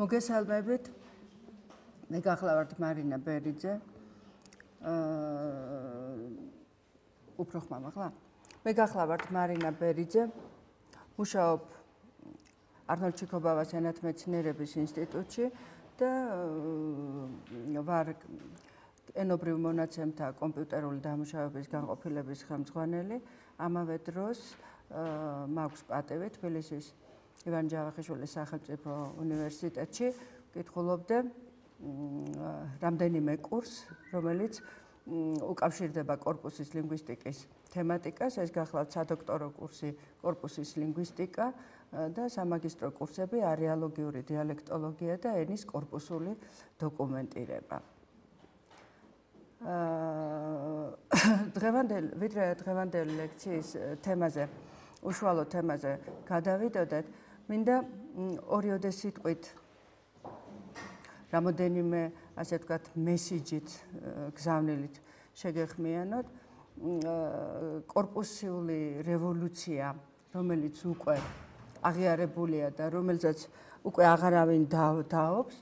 მოგესალმებით. მე გახლავართ მარინა ბერიძე. უფრო ხმამაღლა? მე გახლავართ მარინა ბერიძე. მუშაობ არნოლდ ჩიქობავას ენათმეცნიერების ინსტიტუტში და ვარ ენობრივ მონაცემთა კომპიუტერული დამუშავების განყოფილების ხელმძღვანელი. ამავე დროს მაქვს პატივი თბილისის ივან ჯავახიშვილის სახელმწიფო უნივერსიტეტში ვკითხულობდე რამდენიმე კურსს, რომელიც უკავშირდება კორპუსის ლინგვისტიკის თემატიკას. ეს გახლავთ სადოქტორო კურსი კორპუსის ლინგვისტიკა და სამაგისტრო კურსები არეალოგიური დიალექტოლოგია და ენის კორპუსული დოკუმენტირება. დღევანდელი ლექციის თემაზე, უშუალო თემაზე გადავიდოდეთ. მინდა ორიოდე სიტყვით რამოდენიმე, ასე ვთქვათ, მესიჯით, გზავნილით შეგეხმიანოთ. კორპუსული რევოლუცია, რომელიც უკვე აღიარებულია და რომელზეც უკვე აღარავინ დაობს,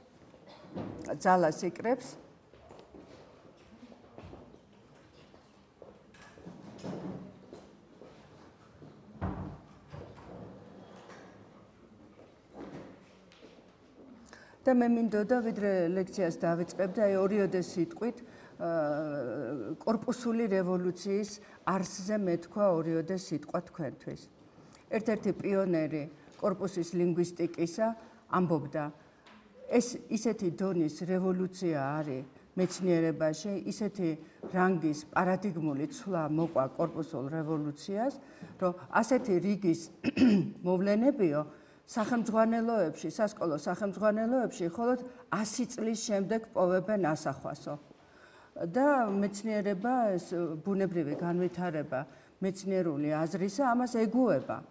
ძალას იკრებს. და მე მინდოდა ვიდრე ლექციას დავიწყებდი აი ორიოდე სიტყვით კორპუსული რევოლუციის არსზე მეთქვა ორიოდე სიტყვა თქვენთვის. ერთ-ერთი პიონერი კორპუსის ლინგვისტიკისა ამბობდა, ეს ისეთი დონის რევოლუცია არის მეცნიერებაში, ისეთი რანგის პარადიგმული ცვლა მოყვა კორპუსულ რევოლუციას, რომ ასეთი რიგის მოვლენებიო სახელმძღვანელოებში, სასკოლო სახელმძღვანელოებში მხოლოდ 100 წლის შემდეგ პოვებენ ასახვასო. და მეცნიერება, ეს ბუნებრივი განვითარება მეცნიერული აზრისა ამას ეგუება,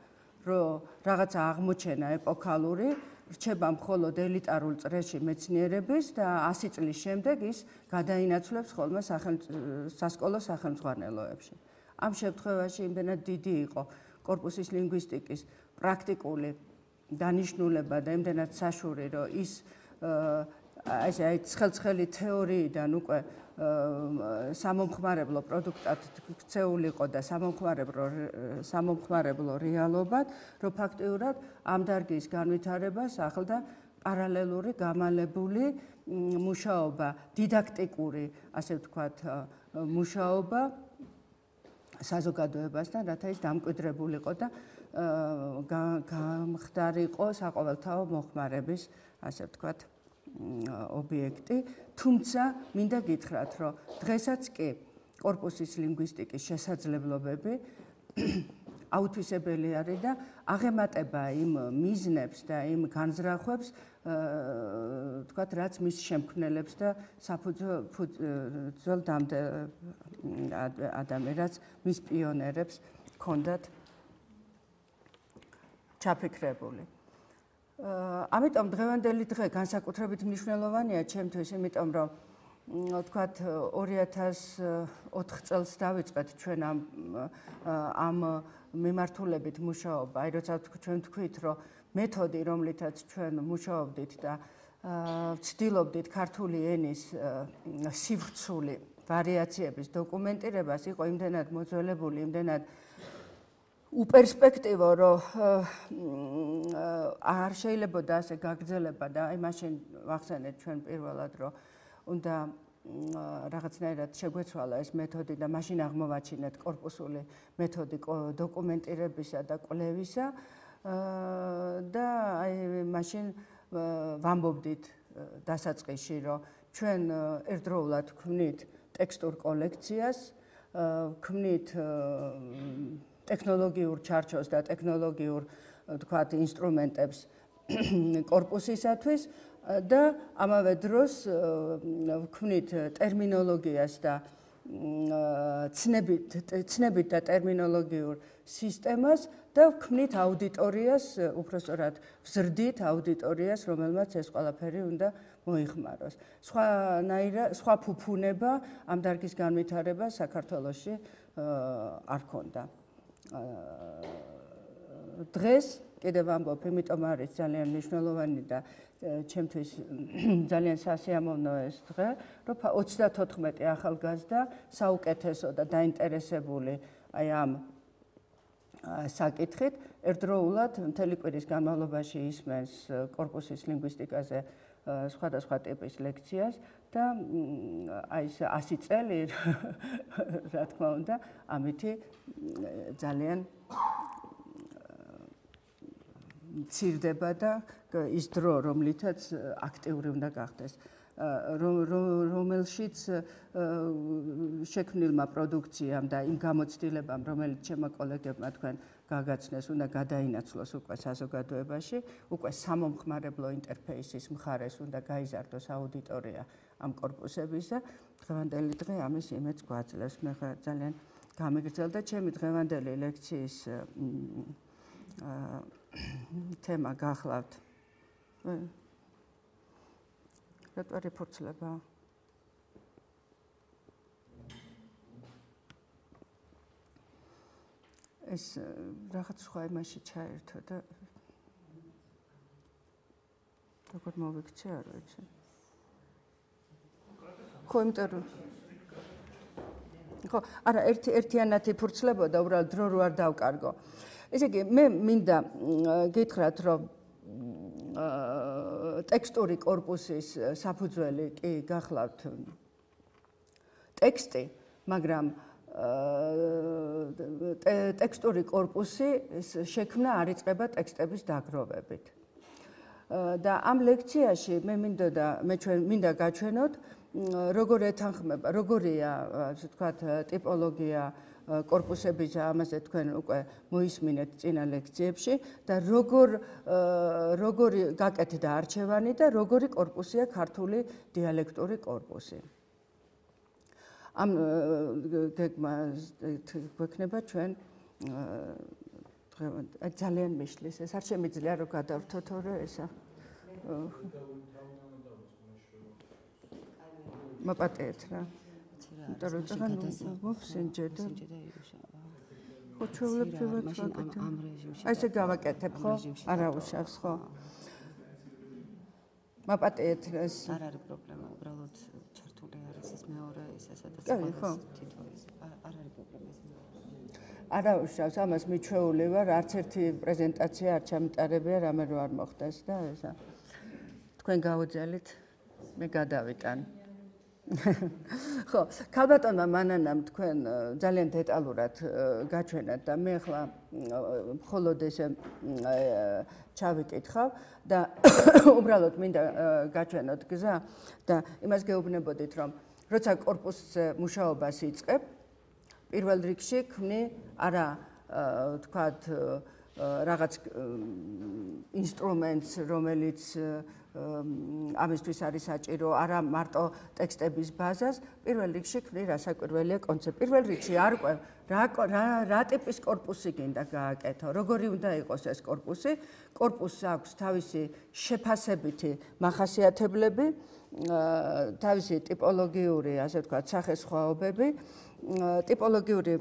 რომ რაღაცა აღმოჩენა ეპოქალური რჩება მხოლოდ ელიტარულ წრეში მეცნიერების და 100 წლის შემდეგ ის გადაინაცვლებს ხოლმე სასკოლო სახელმძღვანელოებში. ამ შემთხვევაში იმდენად დიდი იყო კორპუსის ლინგვისტიკის პრაქტიკული დანიშნულება და იმდენად საშური, რომ ის აი ცხელ-ცხელი თეორიიდან უკვე სამომხმარებლო პროდუქტად ქცეულიყო და სამომხმარებლო რეალობად, რომ ფაქტიურად ამ დარგის განვითარებას ახლდა პარალელური გამალებული მუშაობა, დიდაქტიკური, ასე ვთქვათ, მუშაობა საზოგადოებასთან, რათა ის დამკვიდრებულიყო და გამხდარიყო საყოველთაო მოხმარების, ასე ვთქვათ, ობიექტი. თუმცა მინდა გითხრათ, რომ დღესაც კი კორპუსის ლინგვისტიკის შესაძლებლობები აუთვისებელი არის და აღემატება იმ მიზნებს და იმ განზრახვებს, ვთქვათ, რაც მის შემქმნელებს და საფუძველ ადამიანს, მის პიონერებს ჰქონდათ ჩაფიქრებული. ამიტომ დღევანდელი დღე განსაკუთრებით მნიშვნელოვანია ჩემთვის, იმიტომ რომ ვთქვათ 2004 წელს დავიწყეთ ჩვენ ამ მიმართულებით მუშაობა. აი როცა ჩვენ თქვით, რომ მეთოდი, რომლითაც ჩვენ მუშაობდით და ვცდილობდით ქართული ენის სივრცული ვარიაციების დოკუმენტირებას, იყო იმდენად მოძველებული, იმდენად უპერსპექტივო, რომ არ შეიძლებოდა ასე გაგრძელება და აი მაშინ ვახსენეთ ჩვენ პირველად, რომ უნდა რაღაცნაირად შეგვეცვალა ეს მეთოდი და მაშინ აღმოვაჩინეთ კორპუსული მეთოდი დოკუმენტირებისა და კვლევისა და აი მაშინ ვამბობდით დასაწყისში, რომ ჩვენ ერთდროულად ვქმნით ტექსტურ კოლექციას, ვქმნით ტექნოლოგიურ ჩარჩოს და ტექნოლოგიურ, ვთქვათ, ინსტრუმენტებს კორპუსისათვის და ამავე დროს ვქმნით ტერმინოლოგიას და ცნებით და ტერმინოლოგიურ სისტემას და ვქმნით აუდიტორიას, უпростоრად ვზრდით აუდიტორიას, რომელმაც ეს ყველაფერი უნდა მოიხმაროს. სხვა ფუფუნება ამ დარგის განვითარება საქართველოში არ ქონდა. დღეს კიდევ ვამბობ, იმიტომ არის ძალიან მნიშვნელოვანი და ჩემთვის ძალიან სასიამოვნო ეს დღე, რომ 34 ახალგაზრდა საუკეთესო და დაინტერესებული აი ამ საკითხით ერთდროულად მთელი კვირის განმავლობაში ისმენს კორპუსის ლინგვისტიკაზე სხვადასხვა ტიპის ლექციას და აი ეს 100 წელი რა თქმა უნდა ამითი ძალიან მცირდება და ის დრო, რომლითაც აქტიური უნდა გახდეს, რომელშიც შექმნილმა პროდუქციამ და იმ გამოცდილებამ, რომელიც ჩემო კოლეგებმა თქვენ გაგაცნეს, უნდა გადაინაცვლოს უკვე საზოგადოებაში, უკვე სამომხმარებლო ინტერფეისის მხარეს უნდა გაიზარდოს აუდიტორია ამ კორპუსების და დღევანდელი დღე ამის იმედს გვაძლევს. მე ძალიან გამიგრძელდა ჩემი დღევანდელი ლექციის თემა გახლავთ. რატო რეფორცლება? ეს რაღაც სხვა იმაში ჩაერთო და როგორ მოვიქცე არ ვიცი. ხო, იმიტომ რომ ხო, არა, ერთიანად იფურცლებოდა, უბრალოდ დრო რო არ დავკარგო. ესე იგი, მე მინდა გითხრათ, რომ ტექსტური კორპუსის საფუძველი კი გახლავთ ტექსტი, მაგრამ ტექსტური კორპუსი შექმნა არ იწყება ტექსტების დაგროვებით. და ამ ლექციაში მე მინდა გაჩვენოთ, როგორ ეთანხმება, როგორია, ასე ვთქვათ, ტიპოლოგია კორპუსების, ამაზე თქვენ უკვე მოისმინეთ წინა ლექციებში და როგორი გაკეთდა არჩევანი და როგორი კორპუსია ქართული დიალექტური კორპუსი. ამ გეგმა გვექნება ჩვენ ძალიან მიშლის, ეს არ შემიძლია რომ გადავრთო თორე ესა. მოპატიეთ რა. იმიტომ რომ წაღან მოვსინჯეთ. ხო, ჩვეულებრივ ვაკეთებ. აი ესე გავაკეთებ, ხო? არა უშავს, ხო? მოპატიეთ ეს. არ არის პრობლემა, უბრალოდ ჩართული არის ეს მეორე ისე სადაც თითო ის. არ არის პრობლემა ეს. არა უშავს, ამას მიჩვეული ვარ, არც ერთი პრეზენტაცია არ ჩამიტარებია, რამე რო არ მოხდეს და ესა. თქვენ გაუძელით, მე გადავიტან. ხო, ქალბატონმა მანანამ თქვენ ძალიან დეტალურად გაჩვენათ და მე ახლა მხოლოდ ესე ჩავიკითხავ და უბრალოდ მინდა გაჩვენოთ გზა და იმას გეუბნებოდით, რომ როცა კორპუსზე მუშაობას იწყებ, პირველ რიგში ქმნი არა თქვათ რაღაც ინსტრუმენტს, რომელიც ამისთვის არის საჭირო, არა მარტო ტექსტების ბაზას, პირველ რიგში ქმნი რასაკვირველია კონცეფცია. პირველ რიგში არკვევ რა ტიპის კორპუსი გინდა გააკეთო, როგორი უნდა იყოს ეს კორპუსი. კორპუსს აქვს თავისი შეფასებითი მახასიათებლები, თავისი ტიპოლოგიური, ასე ვთქვათ, სახესხვაობები. ტიპოლოგიური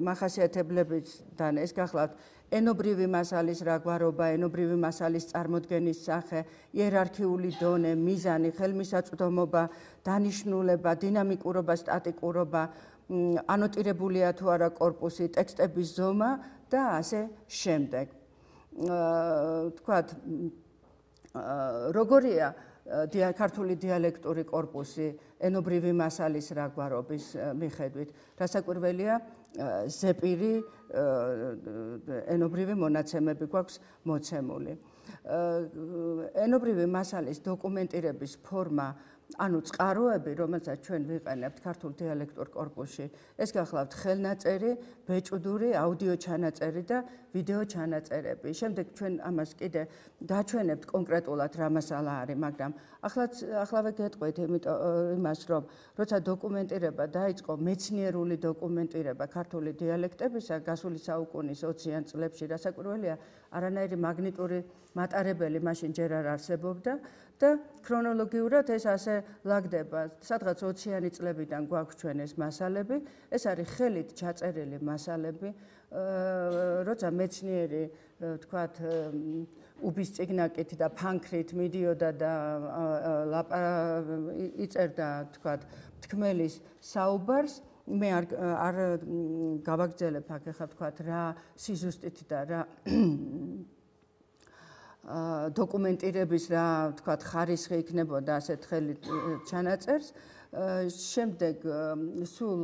მახასიათებლებიდან ეს გახლავთ ენობრივი მასალის რაგვარობა, ენობრივი მასალის წარმოდგენის სახე, იერარქიული დონე, მიზანი, ხელმისაწვდომობა, დანიშნულება, დინამიკურობა, სტატიკურობა, ანოტირებულია თუ არა კორპუსი, ტექსტების ზომა და ასე შემდეგ. თქვათ, როგორია ქართული დიალექტური კორპუსი ენობრივი მასალის რაგვარობის მიხედვით. რასაკვირველია, ზეპირი ენობრივი მონაცემები გვაქვს მოცემული. ენობრივი მასალის დოკუმენტირების ფორმა, ანუ წყაროები, რომელსაც ჩვენ ვიყენებთ ქართულ დიალექტურ კორპუსში, ეს გახლავთ ხელნაწერი, ბეჭდური, აუდიო ჩანაწერი და ვიდეო ჩანაწერები. შემდეგ ჩვენ ამას კიდე გაჩვენებთ კონკრეტულად რა მასალა არის, მაგრამ ახლავე გეტყვით იმას, რომ როცა დოკუმენტირება დაიწყო, მეცნიერული დოკუმენტირება ქართული დიალექტებისა გასული საუკუნის 20-იან წლებში, რასაკვირველია, არანაირი მაგნიტური მატარებელი მაშინ ჯერ არ არსებობდა და ქრონოლოგიურად ეს ასე ლაგდება. სადღაც 20-იანი წლებიდან გვაქვს ჩვენ ეს მასალები, ეს არის ხელით ჩაწერილი მასალები, როცა მეცნიერი თქვათ უბის წიგნაკით და ფანქრით მიდიოდა და იწერდა თქვათ თქმელის საუბარს, მე არ გავაგრძელებ აქ ახლა თქვათ რა სიზუსტით და რა დოკუმენტირების რა თქვათ ხარისხი იქნებოდა ასეთ ხელით ჩანაწერს. შემდეგ სულ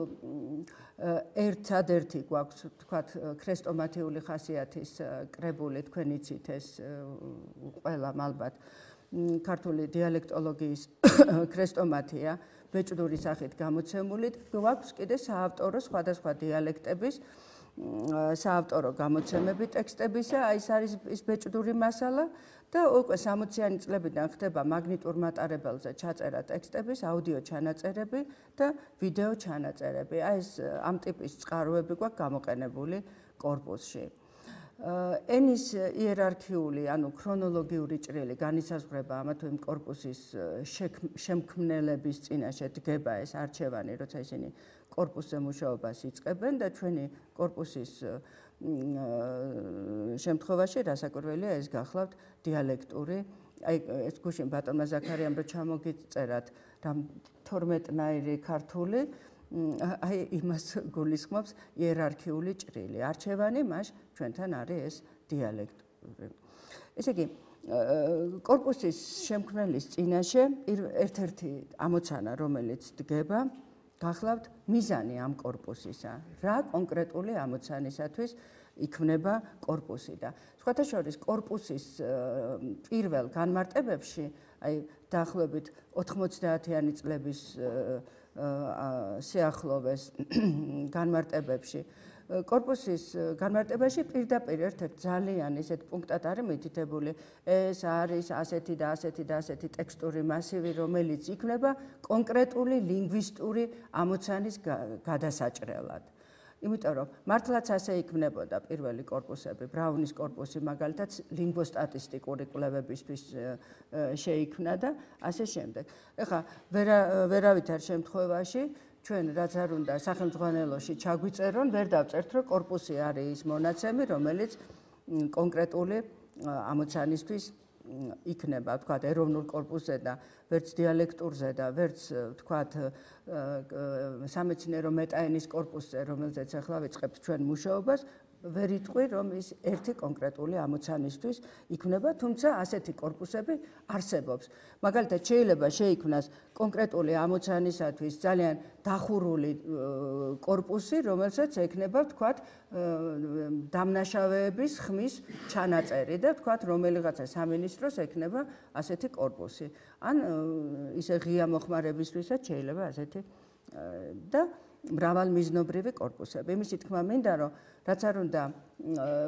ერთადერთი გვაქვს თქვათ ქრესტომათიური ხასიათის კრებული, თქვენ იცით ეს ყველა ალბათ ქართული დიალექტოლოგიის ქრესტომათია ბეჭდური სახით გამოცემული. გვაქვს კიდე საავტორო სხვადასხვა დიალექტების საავტორო გამოცემები ტექსტებისა, ეს არის ის ბეჭდური მასალა და უკვე 60-იანი წლებიდან ხდება მაგნიტურ მატარებელზე ჩაწერა ტექსტების, აუდიო ჩანაწერები და ვიდეო ჩანაწერები. ეს ამ ტიპის წყაროები გვაქვს გამოყენებული კორპუსში. ენის იერარქიული, ანუ ქრონოლოგიური ჭრილი განისაზღვრება ამა თუ იმ კორპუსის შემქმნელების წინაშე დგება ეს არჩევანი, როცა ისინი კორპუსზე მუშაობას იწყებენ და ჩვენი კორპუსის შემთხვევაში რასაკვირველია ეს გახლავთ დიალექტური, აი ეს გუშინ ბატონმა ზაქარიამ რო ჩამოგიწერათ რამ 12-ნაირი ქართული, აი იმას გულისხმობს იერარქიული ჭრილი. არჩევანი მას ჩვენთან არის ეს დიალექტური. ესე იგი, კორპუსის შემქმნელის წინაშე ერთ-ერთი ამოცანა, რომელიც დგება, გახლავთ მიზანი ამ კორპუსისა. რა კონკრეტული ამოცანისათვის იქმნება კორპუსი და სხვათა შორის კორპუსის პირველ განმარტებებში, აი დაახლოებით 90-იანი წლების სიახლოვეს განმარტებებში, კორპუსის განმარტებაში პირდაპირ ერთ-ერთ ძალიან ისეთ პუნქტად არის მითითებული, ეს არის ასეთი და ასეთი და ასეთი ტექსტური მასივი, რომელიც იქმნება კონკრეტული ლინგვისტური ამოცანის გადასაჭრელად. იმიტომ რომ მართლაც ასე იქმნებოდა პირველი კორპუსები, ბრაუნის კორპუსი მაგალითად ლინგვოსტატისტიკური კვლევებისთვის შეიქმნა და ასე შემდეგ. ეხლა ვერავითარ შემთხვევაში ჩვენ რაც არ უნდა სახელმძღვანელოში ჩაგვიწერონ, ვერ დავწერთ, რომ კორპუსი არის ის მონაცემი, რომელიც კონკრეტული ამოცანისთვის იქნება, თქვათ, ეროვნულ კორპუსზე და ვერც დიალექტურზე და ვერც თქვათ სამეცნიერო მეტაენის კორპუსზე, რომელზეც ახლა ვიწყებთ ჩვენ მუშაობას, ვერ იტყვი, რომ ის ერთი კონკრეტული ამოცანისთვის იქნება, თუმცა ასეთი კორპუსები არსებობს. მაგალითად, შეიძლება შეიქმნას კონკრეტული ამოცანისათვის ძალიან დახურული კორპუსი, რომელსაც ექნება, თქვათ, დამნაშავეების ხმის ჩანაწერი და თქვათ, რომელიღაცა სამინისტროს ექნება ასეთი კორპუსი. ან ისე ღია მოხმარებისთვისაც შეიძლება ასეთი და მრავალმიზნობრივი კორპუსები. იმის თქმა მინდა, რომ რაც არ უნდა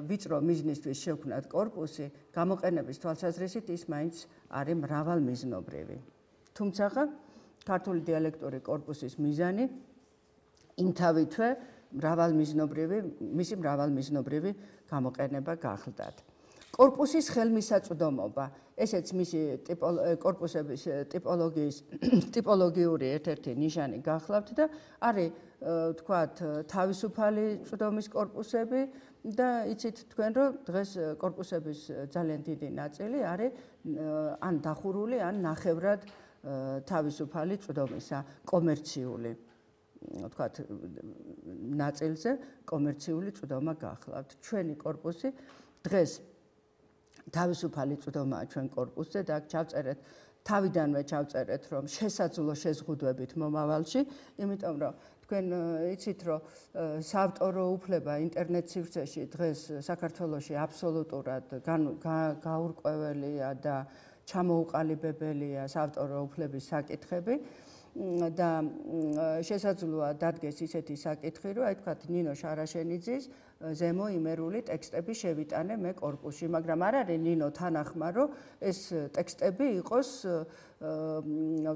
ვიწრო მიზნისთვის შევქმნათ კორპუსი, გამოყენების თვალსაზრისით ის მაინც არის მრავალმიზნობრივი. თუმცა ქართული დიალექტური კორპუსის მიზანი იმთავითვე მისი მრავალმიზნობრივი გამოყენება გახლდათ. კორპუსის ხელმისაწვდომობა, ესეც მისი კორპუსების ტიპოლოგიური ერთ-ერთი ნიშანი გახლავთ და არის თქვათ თავისუფალი წვდომის კორპუსები და იცით თქვენ რომ დღეს კორპუსების ძალიან დიდი ნაწილი არის ან დახურული, ან ნახევრად თავისუფალი წვდომისა, კომერციული თქვათ ნაწილზე კომერციული წვდომა გახლავთ. ჩვენი კორპუსი დღეს თავისუფალი წვდომაა ჩვენ კორპუსზე და აქ ჩავწერეთ, თავიდანვე ჩავწერეთ, რომ შესაძლო შეზღუდვებით მომავალში, იმიტომ რომ თქვენ იცით, რომ საავტორო უფლება ინტერნეტ სივრცეში დღეს საქართველოში აბსოლუტურად გაურკვეველია და ჩამოუყალიბებელია საავტორო უფლების საკითხები და შესაძლოა დადგეს ისეთი საკითხი, რომ აი თქვათ ნინო შარაშენიძის ზემო იმერული ტექსტები შევიტანე მე კორპუსში, მაგრამ არ არის ნინო თანახმა, რომ ეს ტექსტები იყოს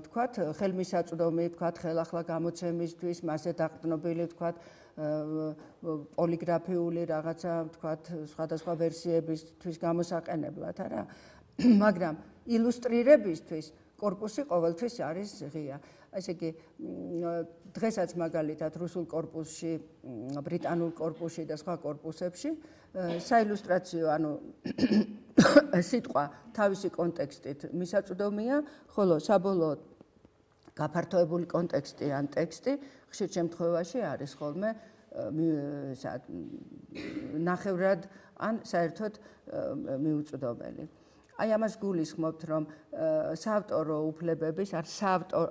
თქვათ ხელმისაწვდომი, თქვათ ხელახლა გამოცემისთვის, მასზე დაყრდნობილი, თქვათ პოლიგრაფიული რაღაცა, თქვათ სხვადასხვა ვერსიებისთვის გამოსაყენებლად, არა? მაგრამ ილუსტრირებისთვის корпуსი ყოველთვის არის ღია. ესე იგი დღესაც მაგალითად რუსულ корпуსში, ბრიტანულ корпуსში და სხვა корпуსებში საილუსტრაციო, ანუ სიტყვა თავისი კონტექსტით მისაწვდომია, ხოლო საბოლოოდ გაფართოებული კონტექსტი ან ტექსტი ხშირ შემთხვევაში არის ხოლმე ნახევრად ან საერთოდ მიუწვდომელი. აი ამას გულისხმობთ, რომ საავტორო უფლებების ან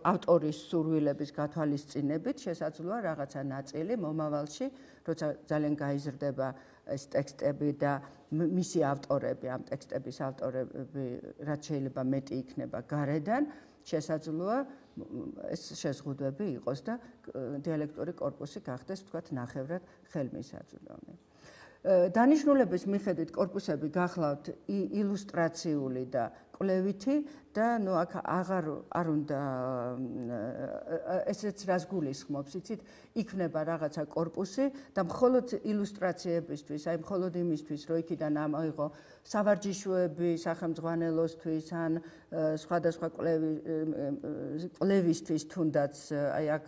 ავტორის სურვილების გათვალისწინებით შესაძლოა რაღაცა ნაწილი მომავალში, როცა ძალიან გაიზრდება ეს ტექსტები და მისი ავტორები, ამ ტექსტების ავტორები, რაც შეიძლება მეტი იქნება გარედან, შესაძლოა ეს შეზღუდვები იყოს და დიალექტური корпуსი გახდეს, თქვათ, ნახევრად ხელმისაწვდომი. დანიშნულების მიხედვით корпуსები გახლავთ ილუსტრაციული და კვლევითი და აქ არ უნდა ესეც რას გულისხმობს, იცით, იქნება რაღაცა корпуსი და მხოლოდ ილუსტრაციებისთვის, აი მხოლოდ იმისთვის, რომ იქიდან ამოიღო სავარჯიშოები სახელმძღვანელოსთვის ან სხვადასხვა კვლევისთვის თუნდაც აი აქ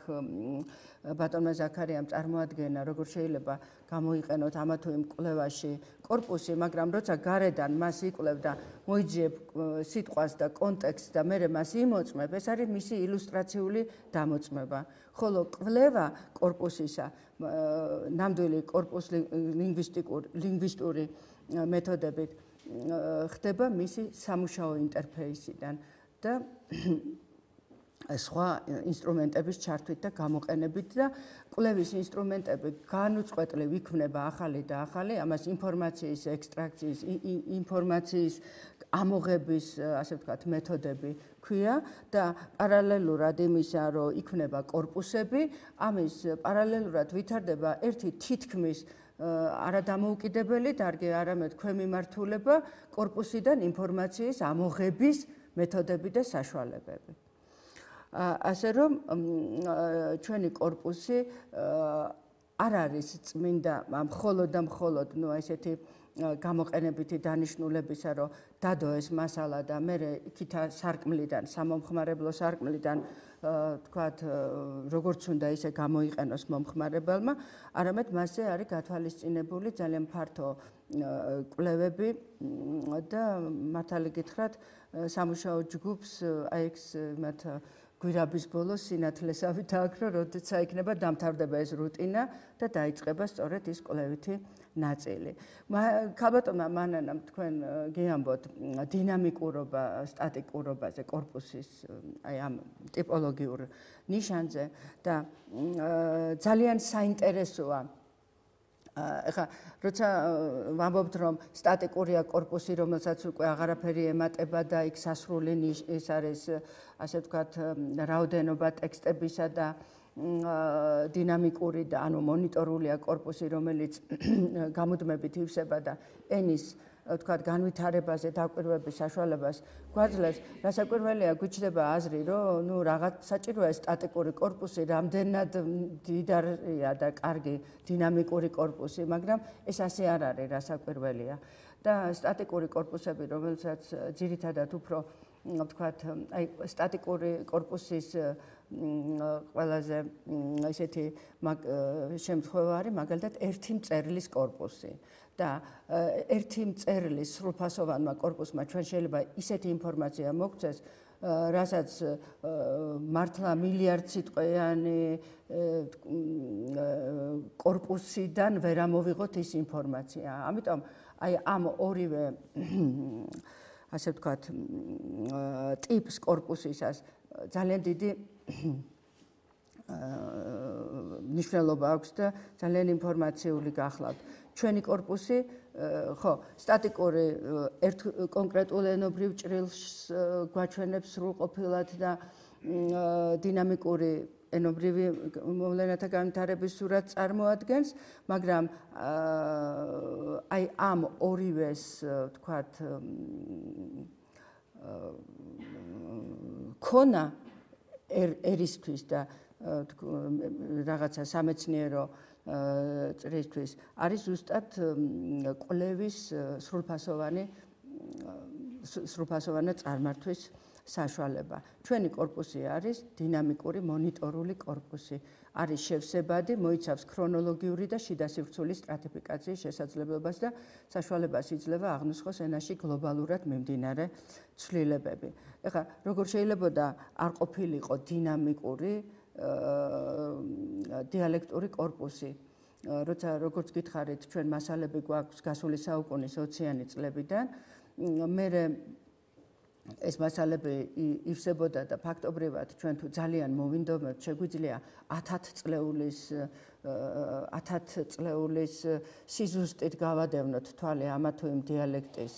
ბატონმა ზაქარიამ წარმოადგენა, როგორ შეიძლება გამოიყენოთ ამა თუ იმ კვლევაში корпуსი, მაგრამ როცა გარედან მას იკვლევ და მოიძიებ სიტყვას და კონტექსტს და მერე მას იმოწმებ, ეს არის მისი ილუსტრაციული დამოწმება. ხოლო კვლევა корпуსისა, ნამდვილი корпуს ლინგვისტური მეთოდებით ხდება მისი სამუშაო ინტერფეისიდან და სხვა ინსტრუმენტების ჩართვით და გამოყენებით და კვლევის ინსტრუმენტები განუწყვეტლივ იქმნება ახალი და ახალი, ამას ინფორმაციის ექსტრაქციის, ინფორმაციის ამოღების, ასე ვთქვათ, მეთოდები ქვია და პარალელურად იმისა, რომ იქმნება корпуსები, ამის პარალელურად ვითარდება ერთი თითქმის არადამოუკიდებელი დარგი, არამედ ქვემიმართულება корпуსიდან ინფორმაციის ამოღების მეთოდები და საშუალებები. ასე რომ ჩვენი корпуსი არ არის წმინდა მხოლოდ და მხოლოდ ესეთი გამოყენებითი დანიშნულებისა, რომ დადო ეს მასალა და მერე იქითა სარკმლიდან, სამომხმარებლო სარკმლიდან თქვათ, როგორც უნდა ისე გამოიყენოს მომხმარებელმა, არამედ მასზე არის გათვალისწინებული ძალიან ფართო კვლევები და მართალი გითხრათ, სამუშაო ჯგუფს აი ეს მათ გვირაბის ბოლოს სინათლესავი დააქრო, როდესაც იქნება დამთავრდება ეს რუტინა და დაიწყება სწორედ ის კვლევითი ნაწილი. ქალბატონმა მანანამ თქვენ გეამბოთ დინამიკურობა, სტატიკურობაზე, корпуსის აი ამ ტიპოლოგიურ ნიშანზე და ძალიან საინტერესოა ეხლა როცა ვამბობთ, რომ სტატიკურია корпуსი, რომელსაც უკვე აღარაფერი ემატება და იქ სასრული ის არის, ასე ვთქვათ, რაოდენობა ტექსტებისა და დინამიკური და ანუ მონიტორულია корпуსი, რომელიც გამუდმებით ივსება და ენის ვთქვათ, განვითარებაზე დაკვირვების საშუალებას გვაძლევს, რასაკვირველია, გვიჩნდება აზრი, რომ რაღაც საჭიროა სტატიკური корпуსი, რამდენად დიდარია და კარგი დინამიკური корпуსი, მაგრამ ეს ასე არ არის, რასაკვირველია. და სტატიკური корпуსები, რომელსაც ძირითადად უფრო ვთქვათ, აი სტატიკური корпуსის ყველაზე ესეთი შემთხვევა არის, მაგალითად, ერთი მწერლის корпуსი. და ერთი მწერლის სრულფასოვანმა корпуსმა ჩვენ შეიძლება ისეთი ინფორმაცია მოგცეს, რასაც მართლა მილიარდ სიტყვიანი корпуსიდან ვერ ამოვიღოთ ის ინფორმაცია. ამიტომ აი ამ ორივე ასე ვთქვათ ტიპს корпуსისას ძალიან დიდი მნიშვნელობა აქვს და ძალიან ინფორმაციული გახლავთ. ჩვენი корпуსი, ხო, სტატიკური ერთ კონკრეტულ ენობრივ ჭრილს გვაჩვენებს სრულყოფილად და დინამიკური ენობრივი მოვლენათა განვითარების სურათს წარმოადგენს, მაგრამ აი ამ ორივეს, ვთქვათ, ქონა ერისთვის და რაღაცა სამეცნიერო წრისთვის არის ზუსტად კვლევის სრულფასოვანი სრულფასოვანად წარმართვის საშუალება. ჩვენი კორპუსი არის დინამიკური მონიტორული კორპუსი. არის შევსებადი, მოიცავს ქრონოლოგიური და შიდა სივრცულის სტრატიფიკაციის შესაძლებლობას და საშუალებას იძლევა აღნუსხოს ენაში გლობალურად მიმდინარე ცვლილებები. ეხლა როგორ შეიძლება არ ყოფილიყო დინამიკური დიალექტური კორპუსი, როცა როგორც გითხარით, ჩვენ მასალები გვაქვს გასული საუკუნის 20-იანი წლებიდან, მერე ეს მასალები ივსებოდა და ფაქტობრივად ჩვენ თუ ძალიან მოვინდომებთ, შეგვიძლია 1000 წლეულის სიზუსტით გავადევნოთ თვალე ამა თუ იმ დიალექტის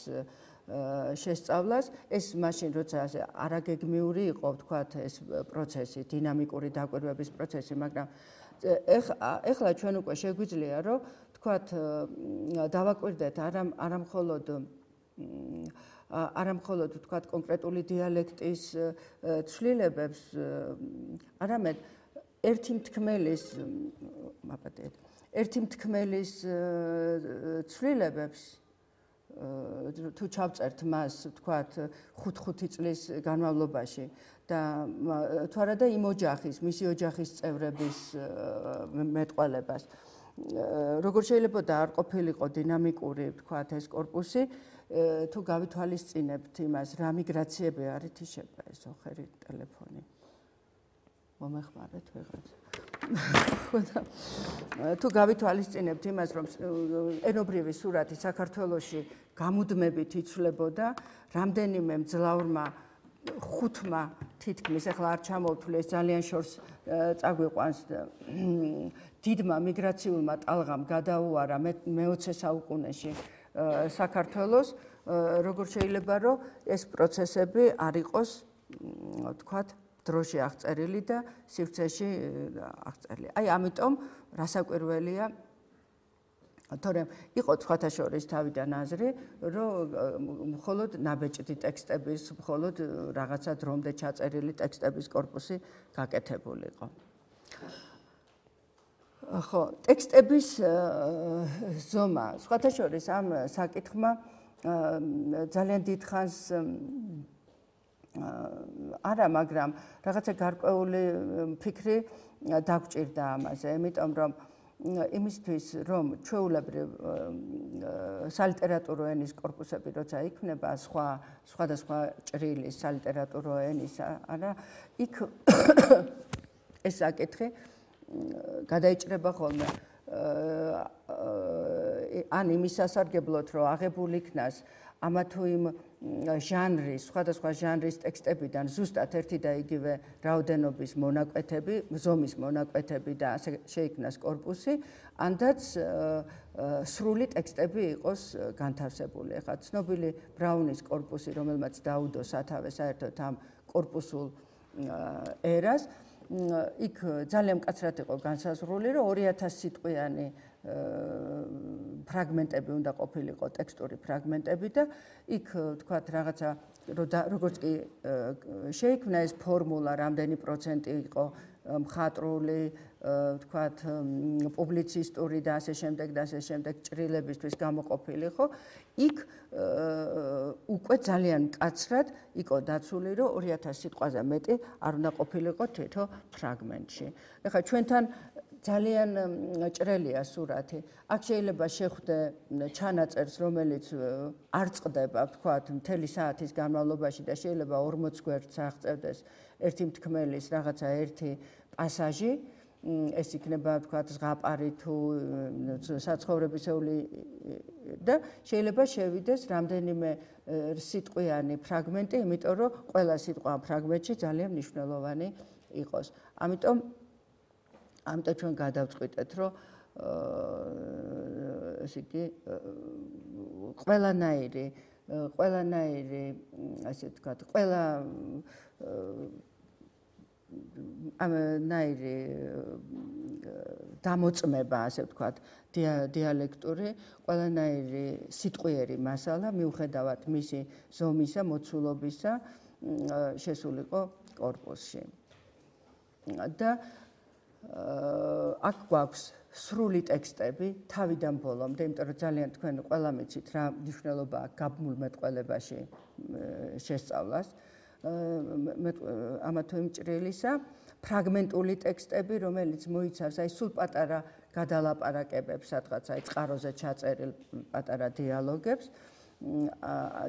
შესწავლას. ეს მაშინ როცა არაგეგმიური იყო, ვთქვათ, ეს პროცესი, დინამიკური დაკვირვების პროცესი, მაგრამ ეხლა ჩვენ უკვე შეგვიძლია, რომ ვთქვათ, დავაკვირდეთ არა მხოლოდ ვთქვათ კონკრეტული დიალექტის ცვლილებებს, არამედ ერთი მთქმელის ცვლილებებს თუ ჩავწერთ მას, ვთქვათ, 5 წლის განმავლობაში და თუ არა და იმ ოჯახის, მისი ოჯახის წევრების მეტყველებას, როგორ შეიძლება და არ ყოფილიყო დინამიკური, ვთქვათ, ეს კორპუსი, თუ გავითვალისწინებთ იმას, რა მიგრაციები არ ითიშება ეს ოხერი ტელეფონი. მომეხმარეთ ვიღაცა. თუ გავითვალისწინებთ იმას, რომ ენობრივი სურათი საქართველოში გამუდმებით იცვლებოდა, რამდენიმე მძლავრმა ხუთმა თითქმის, ახლა არ ჩამოვთვლი, ეს ძალიან შორს წაგვიყვანს, დიდმა მიგრაციულმა ტალღამ გადაუარა მე-20 საუკუნეში საქართველოს, როგორ შეიძლება, რომ ეს პროცესები არ იყოს, ვთქვათ, დროში აღწერილი და სივრცეში აღწერილი. აი, ამიტომ რასაკვირველია, თორემ იყო სხვათა შორის თავიდან აზრი, რომ მხოლოდ ნაბეჭდი ტექსტების, მხოლოდ რაღაცა დრომდე ჩაწერილი ტექსტების კორპუსი გაკეთებულიყო. ხო, ტექსტების ზომა, სხვათა შორის ამ საკითხმა ძალიან დიდ ხანს არა, მაგრამ რაღაცა გარკვეული ფიქრი დაგვჭირდა ამაზე, იმიტომ რომ იმისთვის, რომ ჩვეულებრივ სალიტერატურო ენის კორპუსები როცა იქმნება, სხვადასხვა ჭრილის სალიტერატურო ენის, არა, იქ ეს საკითხი გადაიჭრება ხოლმე ან იმის სასარგებლოდ, რომ აღებულ იქნას ამა თუ იმ ჟანრის, სხვადასხვა ჟანრის ტექსტებიდან ზუსტად ერთი და იგივე რაოდენობის მონაკვეთები, ზომის მონაკვეთები და ასე შეიქმნას კორპუსი, ანდაც სრული ტექსტები იყოს განთავსებული. ახლა ცნობილი ბრაუნის კორპუსი, რომელმაც დაუდო სათავე საერთოდ ამ კორპუსულ ერას, იქ ძალიან მკაცრად იყო განსაზღვრული, რომ 2000 სიტყვიანი ფრაგმენტები უნდა ყოფილიყო, ტექსტური ფრაგმენტები და იქ ვთქვათ რაღაცა როგორც კი შეიქმნა ეს ფორმულა, რამდენი პროცენტი იყო მხატვრული, ვთქვათ, პუბლიცისტური და ასე შემდეგ ჭრილებისთვის გამოყოფილი, ხო? იქ უკვე ძალიან მკაცრად იყო დაცული, რომ 2000 სიტყვაზე მეტი არ უნდა ყოფილიყო თითო ფრაგმენტში. ეხლა ჩვენთან ძალიან ჭრელია სურათი. აქ შეიძლება შეხვდე ჩანაწერს, რომელიც არ წყდება, ვთქვათ, მთელი საათის განმავლობაში და შეიძლება 40 გვერდს აღწევდეს ერთი მთქმელის რაღაცა ერთი პასაჟი, ეს იქნება, ვთქვათ, ზღაპარი თუ საცხოვრებისეული და შეიძლება შევიდეს რამდენიმე სიტყვიანი ფრაგმენტი, იმიტომ რომ ყველა სიტყვა ფრაგმენტში ძალიან მნიშვნელოვანი იყოს. ამიტომ ჩვენ გადავწყვიტეთ, რომ ესე იგი ყველანაირი ასე ვთქვათ, ყველა ამნაირი დამოწმება, ასე ვთქვათ, დიალექტური, ყველანაირი სიტყვიერი მასალა მიუხედავად მისი ზომისა, მოცულობისა შესულიყო კორპუსში. და აქ გვაქვს სრული ტექსტები თავიდან ბოლომდე, იმიტომ რომ ძალიან თქვენ ყველა მიცით რა მნიშვნელობაა გაბმულ მეტყველებაში შესწავლას. ამა თუ იმ ჭრილისა, ფრაგმენტული ტექსტები, რომელიც მოიცავს აი სულ პატარა გადალაპარაკებებს, სადღაც აი წყაროზე ჩაწერილ პატარა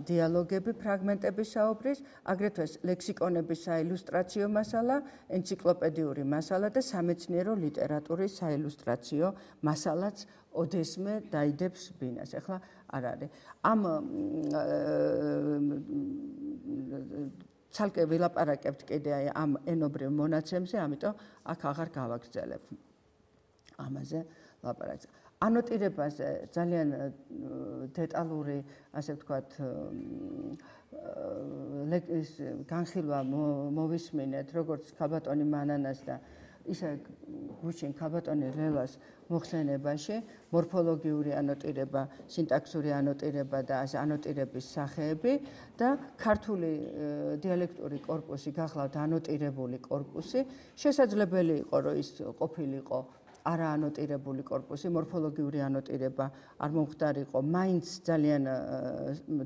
დიალოგები ფრაგმენტები საუბრის, აგრეთვე ლექსიკონების საილუსტრაციო მასალა, ენციკლოპედიური მასალა და სამეცნიერო ლიტერატურის საილუსტრაციო მასალაც ოდესმე დაიდებს ბინას. ახლა არ არის. ამ ცალკე ვილაპარაკებთ კიდე აი ამ ენობრივ მონაცემზე, ამიტომ აქ აღარ გავაგრძელებ ამაზე ლაპარაკს. ანოტირებაზე ძალიან დეტალური, ასე ვთქვათ, განხილვა მოვისმინეთ, როგორც ქალბატონი მანანას და ისე გუშინ ქალბატონი ლელას მოხსენებაში, მორფოლოგიური ანოტირება, სინტაქსური ანოტირება და ანოტირების სახეები და ქართული დიალექტური კორპუსი გახლავთ ანოტირებული კორპუსი, შესაძლებელი იყო, რომ ის ყოფილიყო არაანოტირებული კორპუსი, მორფოლოგიური ანოტირება არ მომხდარიყო, მაინც ძალიან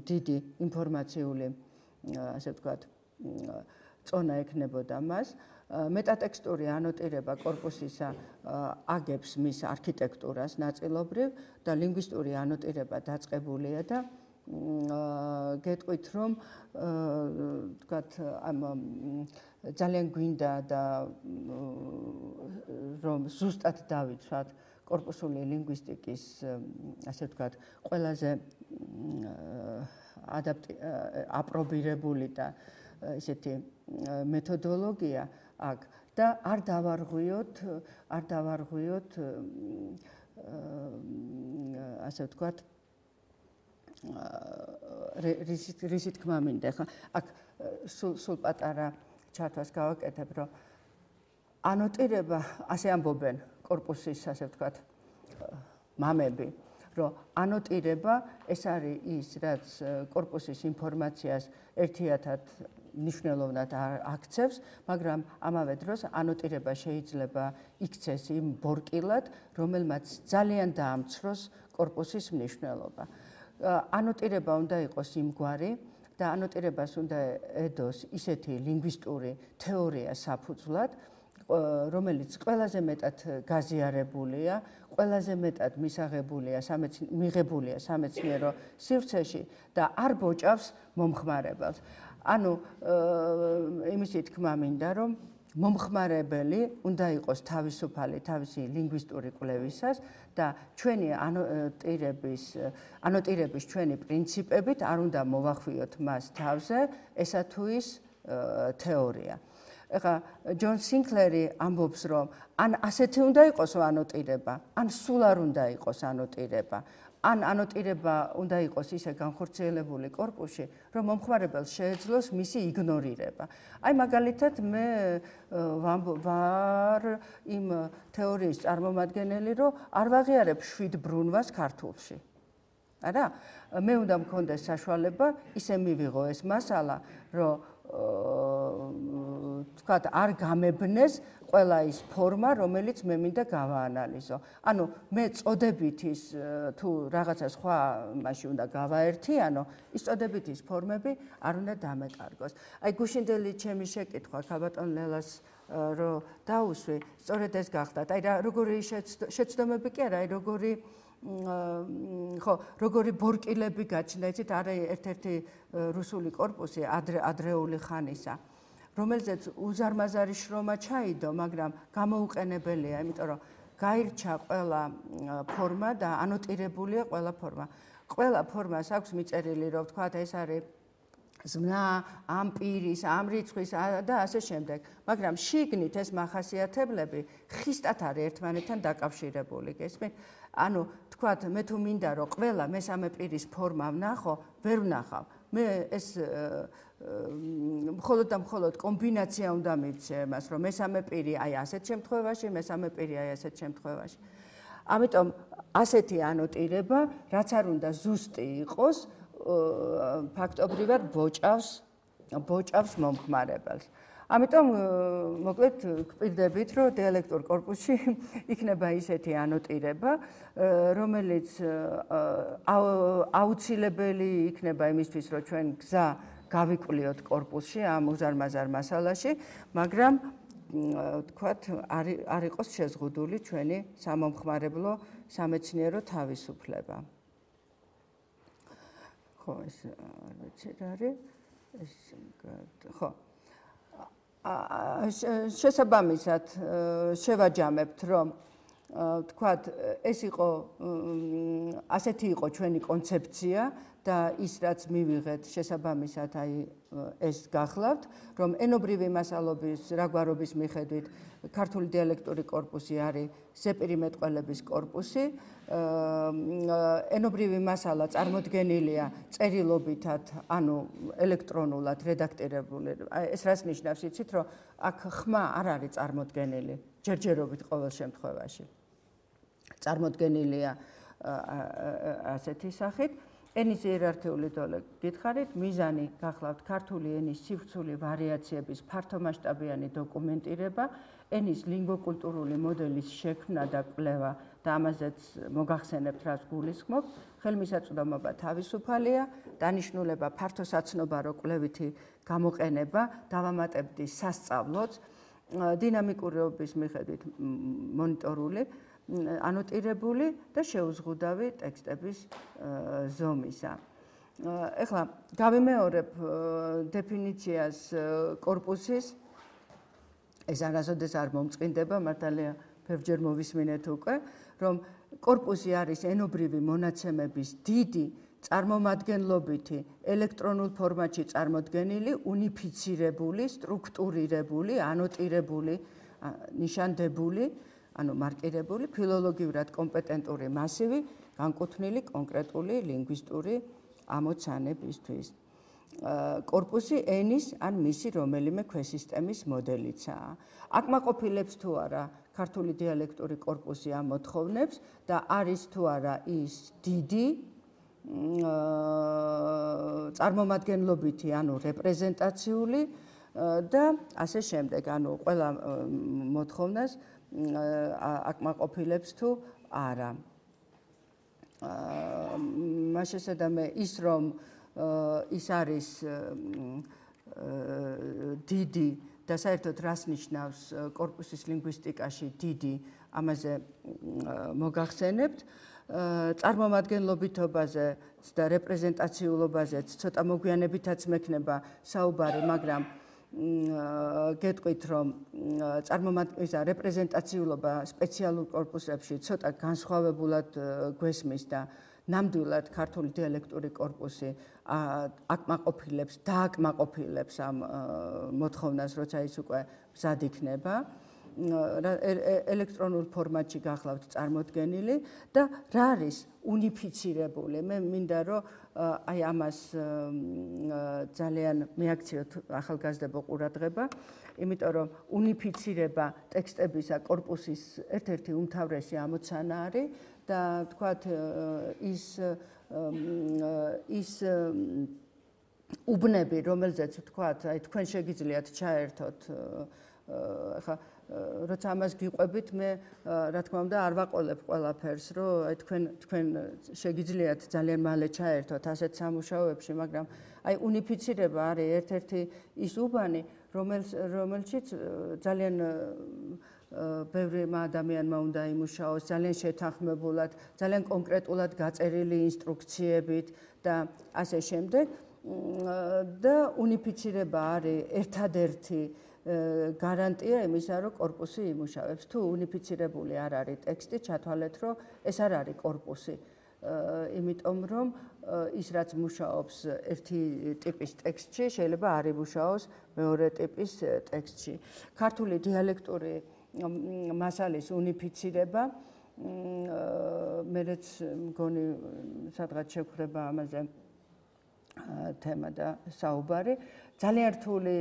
დიდი ინფორმაციული, ასე ვთქვათ, წონა ექნებოდა მას. მეტატექსტური ანოტირება კორპუსისა აგებს მის არქიტექტურას ნაწილობრივ და ლინგვისტური ანოტირება დაწყებულია და გეტყვით, რომ ვთქვათ, ამ ძალიან გვინდა და რომ ზუსტად დავიცვათ კორპუსული ლინგვისტიკის, ასე ვთქვათ, ყველაზე აპრობირებული და ესეთი მეთოდოლოგია აქ და არ დავარღვიოთ, ასე ვთქვათ, რის თქმა მინდა. ხა აქ სულ პატარა ჩართვას გავაკეთებ, რომ ანოტირება, ასე ამბობენ კორპუსის, ასე ვთქვათ, მამები, რომ ანოტირება ეს არის ის, რაც კორპუსის ინფორმაციას ერთიათად მნიშვნელოვნად აქცევს, მაგრამ ამავე დროს ანოტირება შეიძლება იქცეს იმ ბორკილად, რომელმაც ძალიან დაამცროს კორპუსის მნიშვნელობა. ანოტირება უნდა იყოს იმგვარი და ანოტირებას უნდა ედოს ისეთი ლინგვისტური თეორია საფუძვლად, რომელიც ყველაზე მეტად გაზიარებულია, ყველაზე მეტად მიღებულია სამეცნიერო სივრცეში და არ ბოჭავს მომხმარებელს. ანუ იმისი თქმა მინდა, რომ მომხმარებელი უნდა იყოს თავისუფალი თავისი ლინგვისტური კვლევისას და ჩვენი ანოტირების ჩვენი პრინციპებით არ უნდა მოვახვიოთ მას თავზე, ესა თუ ის თეორია. ეხლა ჯონ სინკლერი ამბობს, რომ ან ასეთი უნდა იყოს ანოტირება, ან სულ არ უნდა იყოს ანოტირება. ან ანოტირება უნდა იყოს ისე განხორციელებული კორპუსში, რომ მომხმარებელს შეეძლოს მისი იგნორირება. აი მაგალითად მე ვარ იმ თეორიის წარმომადგენელი, რომ არ ვაღიარებ 7 ბრუნვას ქართულში. არა? მე უნდა მქონდეს საშუალება ისე მივიღო ეს მასალა, რომ თქვათ არ გამებნეს ყველა ის ფორმა, რომელიც მე მინდა გავაანალიზო. ანუ მე წოდებით ის თუ რაღაცა სხვა მასში უნდა გავაერთიანო, ის წოდებით ის ფორმები არ უნდა დამეკარგოს. აი გუშინდელი ჩემი შეკითხვა ქალბატონ ლელას რომ დაუსვი, სწორედ ეს გახდათ. აი როგორი შეცდომები კი არა, აი როგორი ბორკილები გაჩნდა, იცით, არის ერთ-ერთი რუსული კორპუსი ადრეული ხანისა, რომელზეც უზარმაზარი შრომა ჩაიდო, მაგრამ გამოუყენებელია, იმიტომ რომ გაირჩა ყველა ფორმა და ანოტირებულია ყველა ფორმა. ყველა ფორმას აქვს მიწერილი, რომ ვთქვათ, ეს არის ზმნა, ამ პირის, ამ რიცხვის და ასე შემდეგ. მაგრამ შიგნით ეს მახასიათებლები ხისტად არის ერთმანეთთან დაკავშირებული, გესმით? ანუ თქვათ, მე თუ მინდა რომ ყველა მესამე პირის ფორმა ვნახო, ვერ ვნახავ. მე ეს მხოლოდ და მხოლოდ კომბინაცია უნდა მივცე მას, რომ მესამე პირი აი ასეთ შემთხვევაში, მესამე პირი აი ასეთ შემთხვევაში. ამიტომ ასეთი ანოტირება, რაც არ უნდა ზუსტი იყოს, ფაქტობრივად ბოჭავს მომხმარებელს. ამიტომ მოკლედ გვპირდებით, რომ დიალექტურ კორპუსში იქნება ისეთი ანოტირება, რომელიც აუცილებელი იქნება იმისთვის, რომ ჩვენ გზა გავიკვლიოთ კორპუსში ამ უზარმაზარ მასალაში, მაგრამ თქვათ არ იყოს შეზღუდული ჩვენი სამომხმარებლო სამეცნიერო თავისუფლება. ხო, ეს არ ვიცი რა არის. ხო. შესაბამისად შევაჯამებთ, რომ თქვათ ეს იყო ასეთი იყო ჩვენი კონცეფცია და ის რაც მივიღეთ შესაბამისად აი ეს გახლავთ, რომ ენობრივი მასალობის რაგვარობის მიხედვით ქართული დიალექტური კორპუსი არის ზეპირი მეტყველების კორპუსი. ენობრივი მასალა წარმოდგენილია წერილობითად, ანუ ელექტრონულად რედაქტირებული. ეს რას ნიშნავს, იცით, რომ აქ ხმა არ არის წარმოდგენილი ჯერჯერობით ყოველ შემთხვევაში. წარმოდგენილია ასეთი სახით. ენის იერარქიული დოლე გითხარით, მიზანი გახლავთ ქართული ენის სივრცული ვარიაციების ფართომასშტაბიანი დოკუმენტირება, ენის ლინგვოკულტურული მოდელის შექმნა და კვლევა და ამაზეც მოგახსენებთ, რაც გულისხმობ, ხელმისაწვდომობა თავისუფალია, დანიშნულება ფართოსაცნობარო კვლევითი გამოყენება, დავამატებდი სასწავლოც, დინამიკურობის მიხედვით მონიტორული, ანოტირებული და შეუზღუდავი ტექსტების ზომისა. ეხლა გავიმეორებ დეფინიციას კორპუსის, ეს არასოდეს არ მომწყინდება, მართალია ბევრჯერ მოვისმინეთ უკვე, რომ კორპუსი არის ენობრივი მონაცემების დიდი, წარმომადგენლობითი, ელექტრონულ ფორმატში წარმოდგენილი, უნიფიცირებული, სტრუქტურირებული, ანოტირებული, ნიშანდებული, ანუ მარკირებული, ფილოლოგიურად კომპეტენტური მასივი, განკუთვნილი კონკრეტული ლინგვისტური ამოცანებისთვის. კორპუსი ენის ან მისი რომელიმე ქვესისტემის მოდელიცაა. აკმაყოფილებს თუ არა ქართული დიალექტური კორპუსი ამ მოთხოვნებს და არის თუ არა ის დიდი, წარმომადგენლობითი, ანუ რეპრეზენტაციული და ასე შემდეგ, ანუ ყველა მოთხოვნას აკმაყოფილებს თუ არა. მას შესაბამისად ის რომ ის არის დიდი და საერთოდ რას ნიშნავს კორპუსის ლინგვისტიკაში დიდი, ამაზე მოგახსენებთ. წარმომადგენლობითობაზე და რეპრეზენტაციულობაზეც ცოტა მოგვიანებითაც მექნება საუბარი, მაგრამ გეტყვით, რომ რეპრეზენტაციულობა სპეციალურ კორპუსებში ცოტა განსხვავებულად გვესმის და ნამდვილად ქართული დიალექტური კორპუსი დააკმაყოფილებს ამ მოთხოვნას, როცა ის უკვე მზად იქნება. ელექტრონულ ფორმატში გახლავთ წარმოდგენილი და რა არის უნიფიცირებული. მე მინდა რომ აი ამას ძალიან მიაქციოთ ახალგაზრდებო ყურადღება, იმიტომ რომ უნიფიცირება ტექსტებისა კორპუსის ერთ-ერთი უმთავრესი ამოცანა არის და თქვათ ის უბნები, რომელზეც თქვათ, აი თქვენ შეგიძლიათ ჩაერთოთ ახლა როცა ამას გიყვებით, მე რა თქმა უნდა არ ვაყოლებ ყველაფერს, რომ აი თქვენ შეგიძლიათ ძალიან მალე ჩაერთოთ ასეთ სამუშაოებში, მაგრამ აი უნიფიცირება არის ერთ-ერთი ის უბანი, რომელშიც ძალიან ბევრი ადამიანმა უნდა იმუშაოს, ძალიან შეთანხმებულად, ძალიან კონკრეტულად გაწერილი ინსტრუქციებით და ასე შემდეგ. და უნიფიცირება არის ერთადერთი გარანტია იმისა, რომ კორპუსი იმუშავებს. თუ უნიფიცირებული არ არის ტექსტი, ჩათვალეთ, რომ ეს არ არის კორპუსი. იმიტომ რომ ის რაც მუშაობს ერთი ტიპის ტექსტში, შეიძლება არ იმუშაოს მეორე ტიპის ტექსტში. ქართული დიალექტური მასალის უნიფიცირება, მეც მგონი სადღაც შევხვდება ამაზე თემა და საუბარი. ძალიან რთული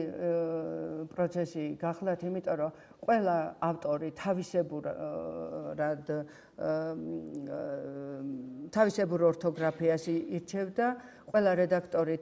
პროცესი გახლავთ, იმიტომ რომ ყველა ავტორი თავისებურად თავისებურ ორთოგრაფიას ირჩევდა, ყველა რედაქტორი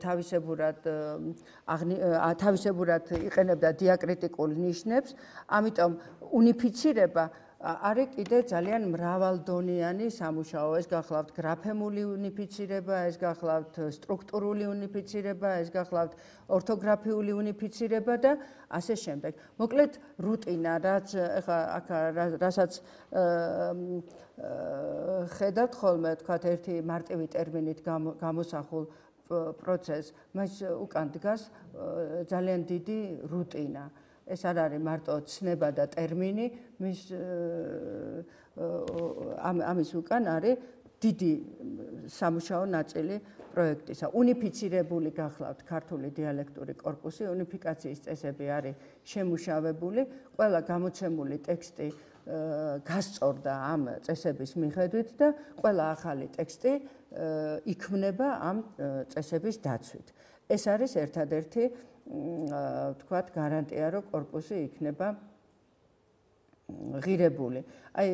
თავისებურად იყენებდა დიაკრიტიკულ ნიშნებს, ამიტომ უნიფიცირება არის კიდე ძალიან მრავალდონიანი სამუშაო. ეს გახლავთ გრაფემული უნიფიცირება, ეს გახლავთ სტრუქტურული უნიფიცირება, ეს გახლავთ ორთოგრაფიული უნიფიცირება და ასე შემდეგ. მოკლედ რუტინა, რასაც ხედავთ ხოლმე, თქვათ ერთი მარტივი ტერმინით გამოსახულ პროცესს, მას უკან დგას ძალიან დიდი რუტინა. ეს არ არის მარტო ცნება და ტერმინი, ამის უკან არის დიდი სამუშაო ნაწილი პროექტისა. უნიფიცირებული გახლავთ ქართული დიალექტური კორპუსი, უნიფიკაციის წესები არის შემუშავებული, ყველა გამოცემული ტექსტი გასწორდა ამ წესების მიხედვით და ყველა ახალი ტექსტი იქმნება ამ წესების დაცვით. ეს არის ერთადერთი თქვათ გარანტია, რომ კორპუსი იქნება ღირებული. აი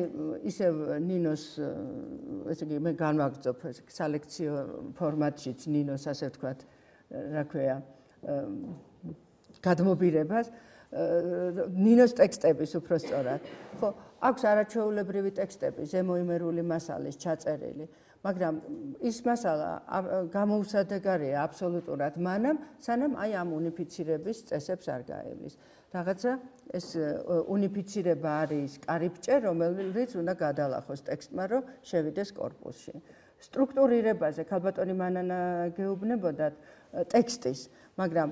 ისევ ნინოს ესე იგი მე განვაგრძობ სალექციო ფორმატშიც ნინოს ასე ვთქვათ, რა ქვია, გადმობირებას ნინოს ტექსტების უფრო სწორად. ხო, აქვს არაჩვეულებრივი ტექსტები, ზემოიმერული მასალის ჩაწერილი, მაგრამ ის მასალა გამოუსადეგარია აბსოლუტურად მანამ, სანამ აი ამ უნიფიცირების წესებს არ გაივლის. რაღაცა ეს უნიფიცირება არის კარიბჭე, რომელიც უნდა გადალახოს ტექსტმა, რომ შევიდეს კორპუსში. სტრუქტურირებაზე ქალბატონი მანანა გეუბნებოდათ ტექსტის, მაგრამ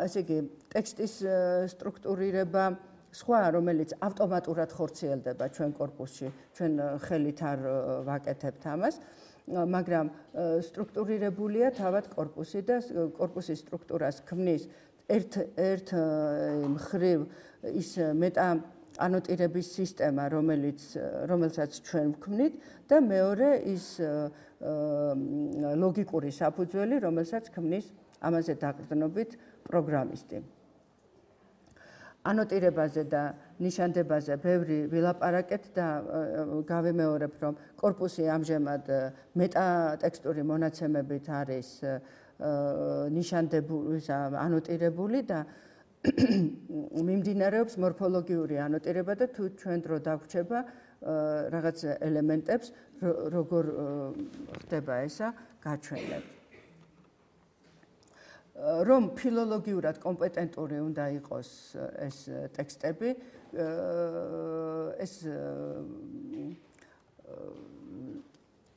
ესე იგი ტექსტის სტრუქტურირება სხვა, რომელიც ავტომატურად ხორციელდება ჩვენ კორპუსში, ჩვენ ხელით არ ვაკეთებთ ამას, მაგრამ სტრუქტურირებულია თავად კორპუსი და კორპუსის სტრუქტურას ქმნის ერთ მხრივ ის მეტაანოტირების სისტემა, რომელსაც ჩვენ ვქმნით და მეორე ის ლოგიკური საფუძველი, რომელსაც ქმნის ამაზე დაყრდნობით პროგრამისტი. ანოტირებაზე და ნიშანდებაზე ბევრი ვილაპარაკეთ და გავიმეორებ, რომ კორპუსი ამჟამად მეტატექსტური მონაცემებით არის ნიშანდებული, ანოტირებული და მიმდინარეობს მორფოლოგიური ანოტირება და თუ ჩვენ დრო დაგვრჩება რაღაც ელემენტებს, როგორ ხდება ესა, გაჩვენებთ. რომ ფილოლოგიურად კომპეტენტური უნდა იყოს ეს ტექსტები, ეს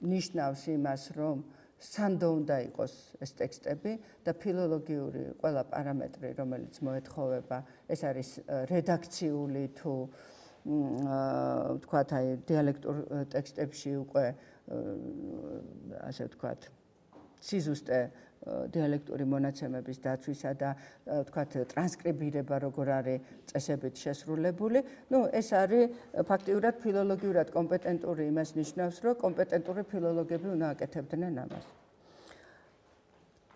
ნიშნავს იმას, რომ სანდო უნდა იყოს ეს ტექსტები და ფილოლოგიური ყველა პარამეტრი, რომელიც მოეთხოვება, ეს არის რედაქციული თუ ვთქვათ, აი დიალექტურ ტექსტებში უკვე ასე ვთქვათ, სიზუსტე დიალექტური მონაცემების დაცვისა და ვთქვათ ტრანსკრიბირება როგორ არის წესებით შესრულებული. ეს არის ფაქტიურად ფილოლოგიურად კომპეტენტური იმას ნიშნავს, რომ კომპეტენტური ფილოლოგები უნდა აკეთებდნენ ამას.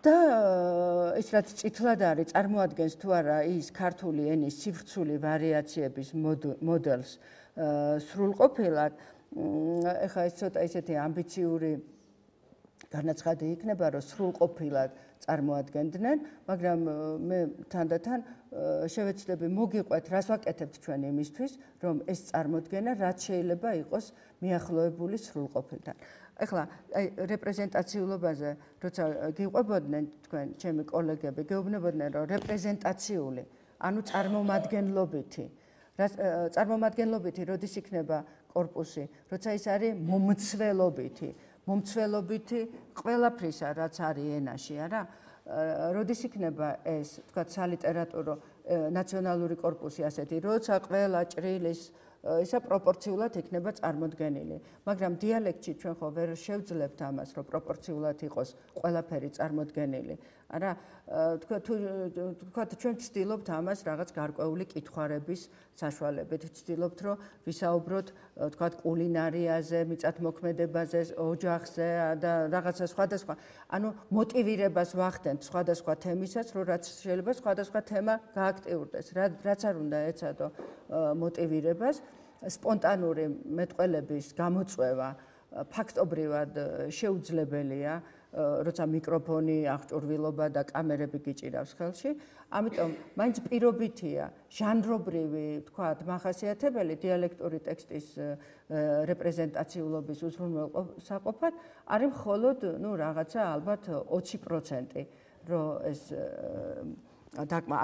და ის რაც წითლად არის, წარმოადგენს თუ არა ის ქართული ენის სივრცული ვარიაციების მოდელს სრულყოფილად, ეხლა ეს ცოტა ისეთი ამბიციური განაცხადი იქნება, რომ სრულყოფილად წარმოადგენდნენ, მაგრამ მე თანდათან შევეცდები მოგიყვეთ, რას ვაკეთებთ ჩვენ იმისთვის, რომ ეს წარმოდგენა რაც შეიძლება იყოს მიახლოებული სრულყოფილთან. ეხლა აი რეპრეზენტაციულობაზე, როცა გიყვებოდნენ თქვენ, ჩემი კოლეგები, გეუბნებოდნენ, რომ რეპრეზენტაციული, ანუ წარმომადგენლობითი, წარმომადგენლობითი, როდის იქნება კორპუსი, როცა ის არის მომცველობითი. მომცველობითი ყველაფრისა, რაც არის ენაში, არა? როდის იქნება ეს, თქვათ, სალიტერატურო ნაციონალური კორპუსი ასეთი, როცა ყველა ჭრილის ისა პროპორციულად იქნება წარმოდგენილი. მაგრამ დიალექტში ჩვენ ხო ვერ შევძლებთ ამას, რომ პროპორციულად იყოს ყველაფერი წარმოდგენილი. არა, თქვათ, ჩვენ ვცდილობთ ამას რაღაც გარკვეული კითხვარების საშუალებით. ვცდილობთ, რომ ვისაუბროთ, თქვათ, კულინარიაზე, მიწათმოქმედებაზე, ოჯახზე და რაღაცა სხვადასხვა. ანუ მოტივირებას ვახდენთ სხვადასხვა თემისას, რომ რაც შეიძლება სხვადასხვა თემა გააქტიურდეს. რაც არ უნდა ეცადო მოტივირებას, სპონტანური მეტყველების გამოწვევა ფაქტობრივად შეუძლებელია, როცა მიკროფონი, აღჭურვილობა და კამერები გიჭირავს ხელში. ამიტომ მაინც პირობითია ჟანრობრივი, თქვათ, მახასიათებელი დიალექტური ტექსტის რეპრეზენტაციულობის უზრუნველსაყოფად არის მხოლოდ, რაღაცა ალბათ 20%, რომ ეს დაკმა.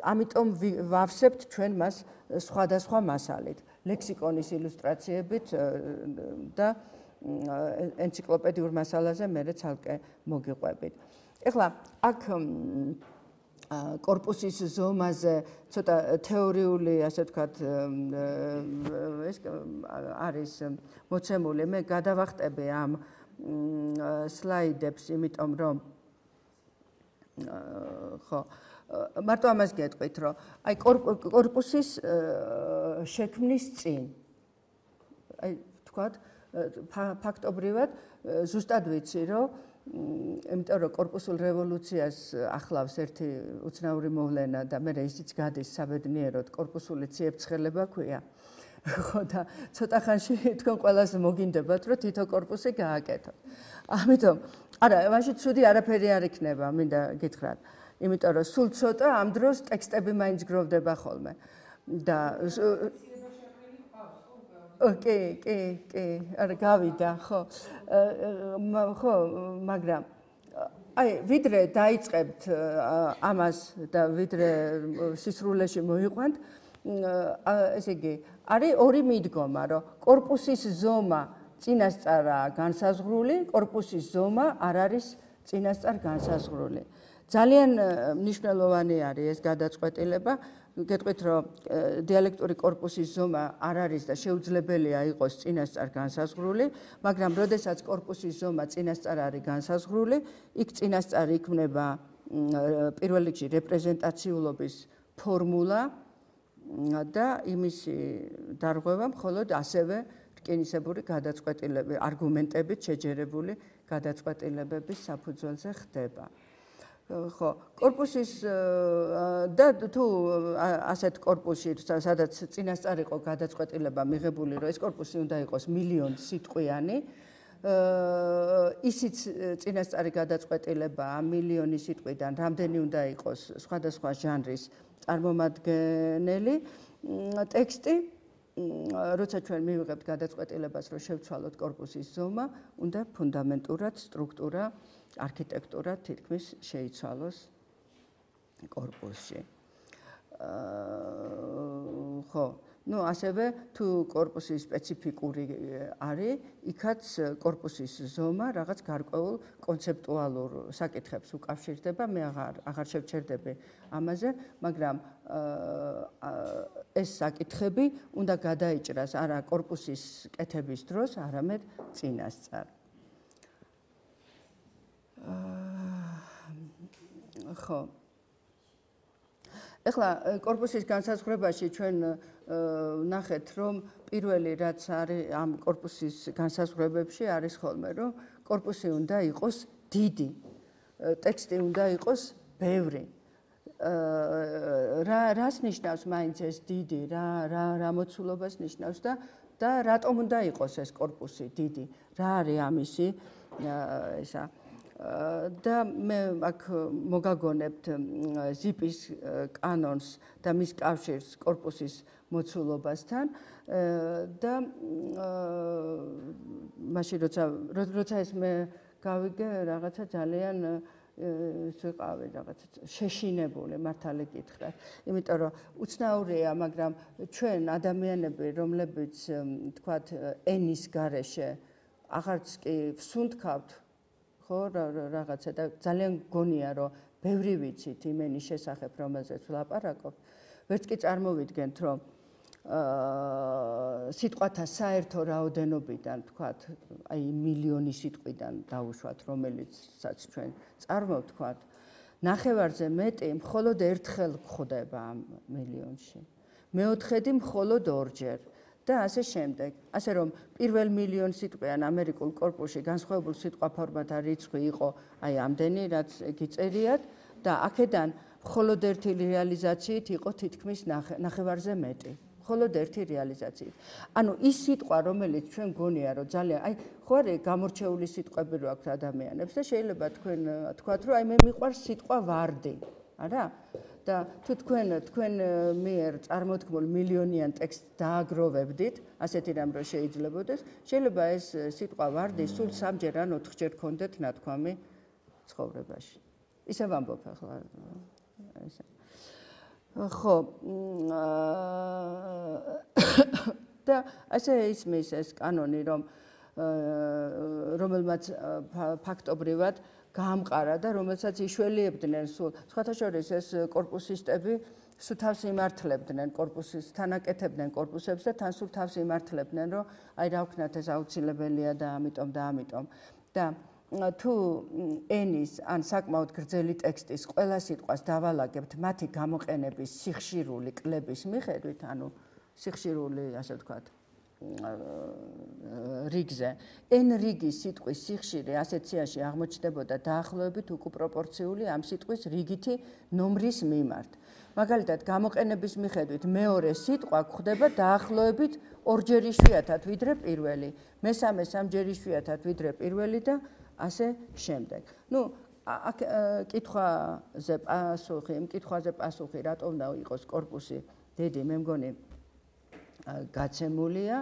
ამიტომ ვავსებთ ჩვენ მას სხვადასხვა მასალით, ლექსიკონის ილუსტრაციებით და ენციკლოპედიურ მასალაზე მე ცალკე მოგიყვებით. ეხლა აქ კორპუსის ზომაზე ცოტა თეორიული, ასე ვთქვათ, ეს არის მოცემული. მე გადავახტები ამ სლაიდებს, იმიტომ რომ ხო, მარტო ამას გეტყვით, რომ აი კორპუსის შექმნის წინ, აი ვთქვათ, ფაქტობრივად ზუსტად ვიცი, რომ იმიტომ რომ კორპუსულ რევოლუციას ახლავს ერთი უცნაური მოვლენა და მე ისიც გადის საბედნიეროდ კორპუსული ციებ-ცხელება ქვია. ხო და ცოტა ხანში თქვენ ყველას მოგინდებათ, რომ თითო კორპუსი გააკეთოთ. ამიტომ არა, მაშინ ცუდი არაფერი არ იქნება, მინდა გითხრათ. იმიტომ რომ სულ ცოტა ამ დროს ტექსტები მაინც გროვდება ხოლმე. და კი, არა გავიდა, ხო. ხო, მაგრამ აი, ვიდრე დაიწყებთ ამას და ვიდრე სისრულეში მოიყვანთ, ესე იგი, არის ორი მიდგომა, რომ კორპუსის ზომა წინასწარაა განსაზღვრული, კორპუსის ზომა არ არის წინასწარ განსაზღვრული. ძალიან მნიშვნელოვანი არის ეს გადაწყვეტილება. გეტყვით, რომ დიალექტური კორპუსის ზომა არ არის და შეუძლებელია იყოს წინასწარ განსაზღვრული, მაგრამ როდესაც კორპუსის ზომა წინასწარ არის განსაზღვრული, იქ წინასწარ იქმნება პირველ რიგში რეპრეზენტაციულობის ფორმულა და იმისი დარღვევა მხოლოდ ასევე რკინისებური გადაწყვეტილების, არგუმენტებით შეჯერებული გადაწყვეტილებების საფუძველზე ხდება. ხო, კორპუსის და თუ ასეთ კორპუსში, სადაც წინასწარ იყო გადაწყვეტილება მიღებული, რომ ეს კორპუსი უნდა იყოს მილიონ სიტყვიანი, ისიც წინასწარი გადაწყვეტილება ამ მილიონი სიტყვიდან რამდენი უნდა იყოს სხვადასხვა ჟანრის წარმომადგენელი ტექსტი, როცა ჩვენ მივიღებთ გადაწყვეტილებას, რომ შევცვალოთ კორპუსის ზომა, უნდა ფუნდამენტურად სტრუქტურა, არქიტექტურა თითქმის შეიცვალოს კორპუსში. ხო, ასევე თუ კორპუსი სპეციფიკური არის, იქაც კორპუსის ზომა რაღაც გარკვეულ კონცეპტუალურ საკითხებს უკავშირდება, მე აღარ შევჩერდები ამაზე, მაგრამ ეს საკითხები უნდა გადაიჭრას არა კორპუსის კეთების დროს, არამედ წინასწარ. ხო. ეხლა კორპუსის განსაზღვრებაში ჩვენ ნახეთ, რომ პირველი რაც არის ამ კორპუსის განსაზღვრებებში არის ხოლმე, რომ კორპუსი უნდა იყოს დიდი, ტექსტი უნდა იყოს ბევრი. რას ნიშნავს მაინც ეს დიდი, რა მოცულობას ნიშნავს და რატომ უნდა იყოს ეს კორპუსი დიდი, რა არის ამისი ესა და მე აქ მოგაგონებთ ზიპის კანონს და მის კავშირს კორპუსის მოცულობასთან და მაშინ როცა ეს მე გავიგე რაღაცა ძალიან ვიყავი რაღაცა შეშინებული მართალი გითხრათ, იმიტომ რომ უცნაურია, მაგრამ ჩვენ ადამიანები, რომლებიც თქვათ ენის გარეშე აღარც კი ვსუნთქავთ ხო რაღაცა და ძალიან გონია რომ ბევრი ვიცით იმ ენის შესახებ, რომელზეც ვლაპარაკობ, ვერც კი წარმოვიდგენთ, რომ სიტყვათა საერთო რაოდენობიდან, თქვათ, აი მილიონი სიტყვიდან დავუშვათ, რომელიცაც ჩვენ წარმოვთქვათ, ნახევარზე მეტი მხოლოდ ერთხელ გვხვდება ამ მილიონში. მეოთხედი მხოლოდ ორჯერ. და ასე შემდეგ. ასე რომ პირველ მილიონ სიტყვიან ამერიკულ კორპუსში განსხვავებულ სიტყვა ფორმათა რიცხვი იყო აი ამდენი, რაც გიწერიათ და აქედან მხოლოდ ერთი რეალიზაციით იყო თითქმის ნახევარზე მეტი. მხოლოდ ერთი რეალიზაციით. ანუ ის სიტყვა, რომელიც ჩვენ გონია, რომ ძალიან, აი, ხო არის გამორჩეული სიტყვები რო აქვს ადამიანებს და შეიძლება თქვენ თქვათ, რომ აი მე მიყვარს სიტყვა ვარდი, არა? და თუ თქვენ მიერ წარმოთქმულ მილიონიან ტექსტს დააგროვებდით, ასეთი რამ რო შეიძლებოდეს, შეიძლება ეს სიტყვა ვარდი სულ 3-ჯერ ან 4-ჯერ გქონდეთ ნათქვამი ცხოვრებაში. ისე ვამბობ ახლა ესე. ხო, და ასე ისმის ეს კანონი, რომელმაც ფაქტობრივად გაამყარა და რომელსაც იშველიებდნენ სულ. სხვათა შორის ეს კორპუსისტები სულ თავს იმართლებდნენ კორპუსის, თანაკეთებდნენ კორპუსებს და თან სულ თავს იმართლებდნენ, რომ აი რა ვქნათ ეს აუცილებელია და ამიტომ. და თუ ენის ან საკმაოდ გრძელი ტექსტის ყველა სიტყვას დავალაგებთ მათი გამოყენების სიხშირული კლების მიხედვით, ანუ სიხშირული, ასე ვთქვათ, რიგზე, n რიგის სიტყვის სიხშირე ასეთ სიაში აღმოჩნდებოდა დაახლოებით უკუპროპორციული ამ სიტყვის რიგითი ნომრის მიმართ. მაგალითად, გამოყენების მიხედვით მეორე სიტყვა გვხვდება დაახლოებით 2-ჯერ იშვიათად ვიდრე პირველი, მესამე 3-ჯერ იშვიათად ვიდრე პირველი და ასე შემდეგ. ნუ კითხვაზე პასუხი, რატომ უნდა იყოს კორპუსი დიდი, მე მგონი გაცემულია,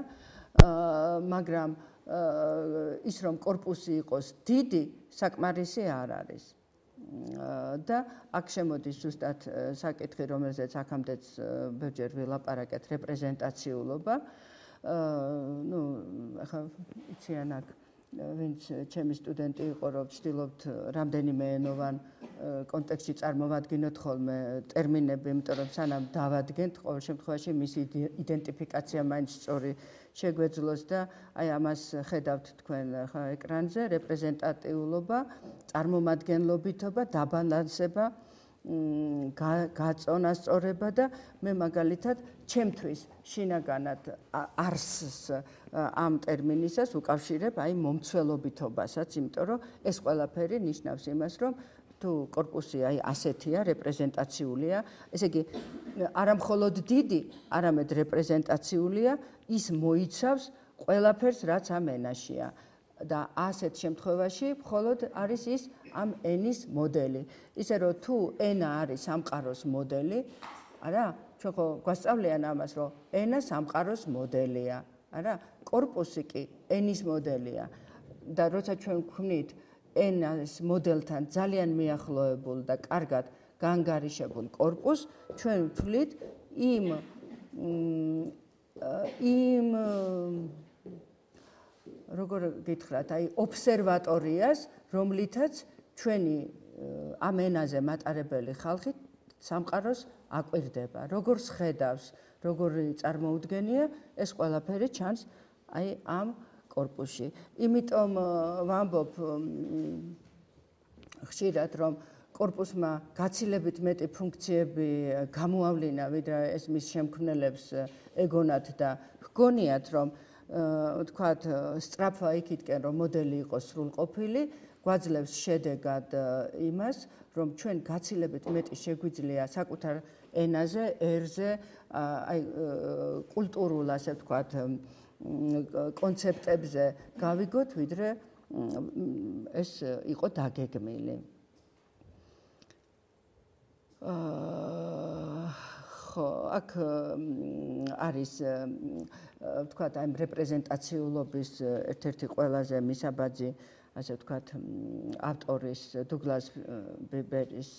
მაგრამ ის რომ კორპუსი იყოს დიდი, საკმარისი არ არის. და აქ შემოდის ზუსტად საკითხი, რომელზეც აქამდეც ბევრჯერ ვილაპარაკეთ, რეპრეზენტაციულობა. ნუ ახლა იციან აქ ვინც ჩემი სტუდენტი იყო, რომ ვცდილობთ რამდენიმე ენოვან კონტექსტში წარმოვადგინოთ ხოლმე ტერმინები, იმიტომ რომ სანამ დავადგენთ, ყოველ შემთხვევაში მისი იდენტიფიკაცია მაინც სწორი შეგვეძლოს და აი ამას ხედავთ თქვენ ხა ეკრანზე, რეპრეზენტატიულობა, წარმომადგენლობითობა, დაბალანსება, გაწონასწორება და მე მაგალითად ჩემთვის შინაგანად არსს ამ ტერმინისას უკავშირებ აი მომცველობითობასაც, იმიტომ რომ ეს ყველაფერი ნიშნავს იმას, რომ თუ კორპუსი აი ასეთია, რეპრეზენტაციულია, ესე იგი არა მხოლოდ დიდი, არამედ რეპრეზენტაციულია, ის მოიცავს ყველაფერს, რაც ამ ენაშია. და ასეთ შემთხვევაში მხოლოდ არის ის ამ ენის მოდელი. ისე რომ თუ ენა არის სამყაროს მოდელი, არა? ჩვენ ხო გვასწავლიან ამას, რომ ენა სამყაროს მოდელია, არა? კორპუსი კი ენის მოდელია. და როცა ჩვენ ვქმნით ენას მოდელთან ძალიან მიახლოებულ და კარგად განგარიშებულ კორპუსს, ჩვენ ვთვლით იმ როგორ გითხრათ, აი ობსერვატორიას, რომლითაც ჩვენი ამ ენაზე მატარებელი ხალხი სამყაროს აკვირდება, როგორ ხედავს, როგორ წარმოუდგენია, ეს ყველაფერი ჩანს აი ამ კორპუსში. იმიტომ ვამბობ ხშირად, რომ კორპუსმა გაცილებით მეტი ფუნქციები გამოავლინა, ვიდრე ეს მის შემქმნელებს ეგონათ და ჰგონიათ, რომ ვთქვათ, სწრაფვა იქითკენ, რომ მოდელი იყოს სრულყოფილი, გვაძლევს შედეგად იმას, რომ ჩვენ გაცილებით მეტი შეგვიძლია საკუთარ ენაზე, ერზე, აი კულტურულ, ასე ვთქვათ, კონცეპტებზე გავიგოთ, ვიდრე ეს იყო დაგეგმილი. ხო, აქ არის ვთქვათ, აი რეპრეზენტაციულობის ერთ-ერთი ყველაზე მისაბაძი, ასე ვთქვათ, ავტორის დუგლას ბიბერის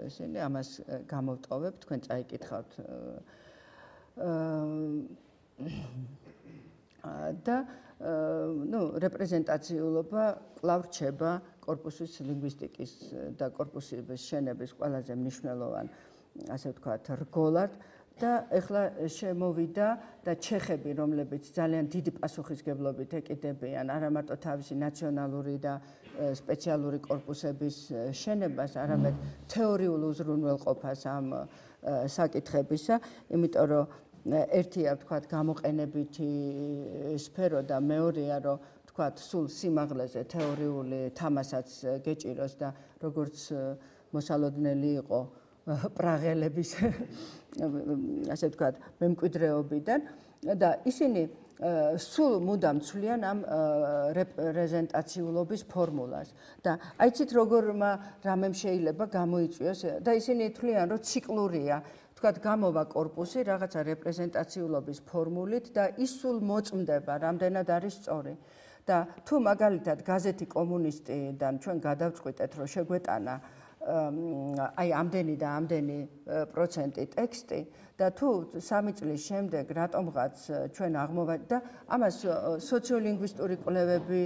ისინი ამას გამოვტოვებ, თქვენ წაიკითხავთ. და ნუ რეპრეზენტაციულობა კვლავ რჩება კორპუსის ლინგვისტიკის და კორპუსის შენების ყველაზე მნიშვნელოვან, ასე ვთქვათ, რგოლად. და ეხლა შემოვიდა და ჩეხები, რომლებიც ძალიან დიდი პასუხისგებლობით ეკიდებიან არა მარტო თავისი ნაციონალური და სპეციალური კორპუსების შენებას, არამედ თეორიულ უზრუნველყოფას ამ საკითხებისა, იმიტომ რომ ერთია, ვთქვათ, გამოყენებითი სფერო და მეორეა, რომ ვთქვათ, სულ სიმაღლეზე თეორიული თამასაც გეჭიროს და როგორც მოსალოდნელი იყო პრაღელების ასე ვთქვათ, მემკვიდრეობიდან და ისინი სულ მუდამ ცვლიან ამ რეპრეზენტაციულობის ფორმულას და აიცით როგორმა რამემ შეიძლება გამოიწვიოს და ისინი თვლიან რომ ციკლურია თქვათ გამოვა კორპუსი რაღაცა რეპრეზენტაციულობის ფორმულით და ის სულ მოწმდება რამდენად არის სწორი და თუ მაგალითად გაზეთი კომუნისტიდან ჩვენ გადავწყვიტეთ რომ შეგვეტანა აი ამდენი და ამდენი პროცენტი ტექსტი და თუ 3 წლის შემდეგ რატომღაც ჩვენ აღმოვაჩინეთ და ამას სოციოლინგვისტური კვლევები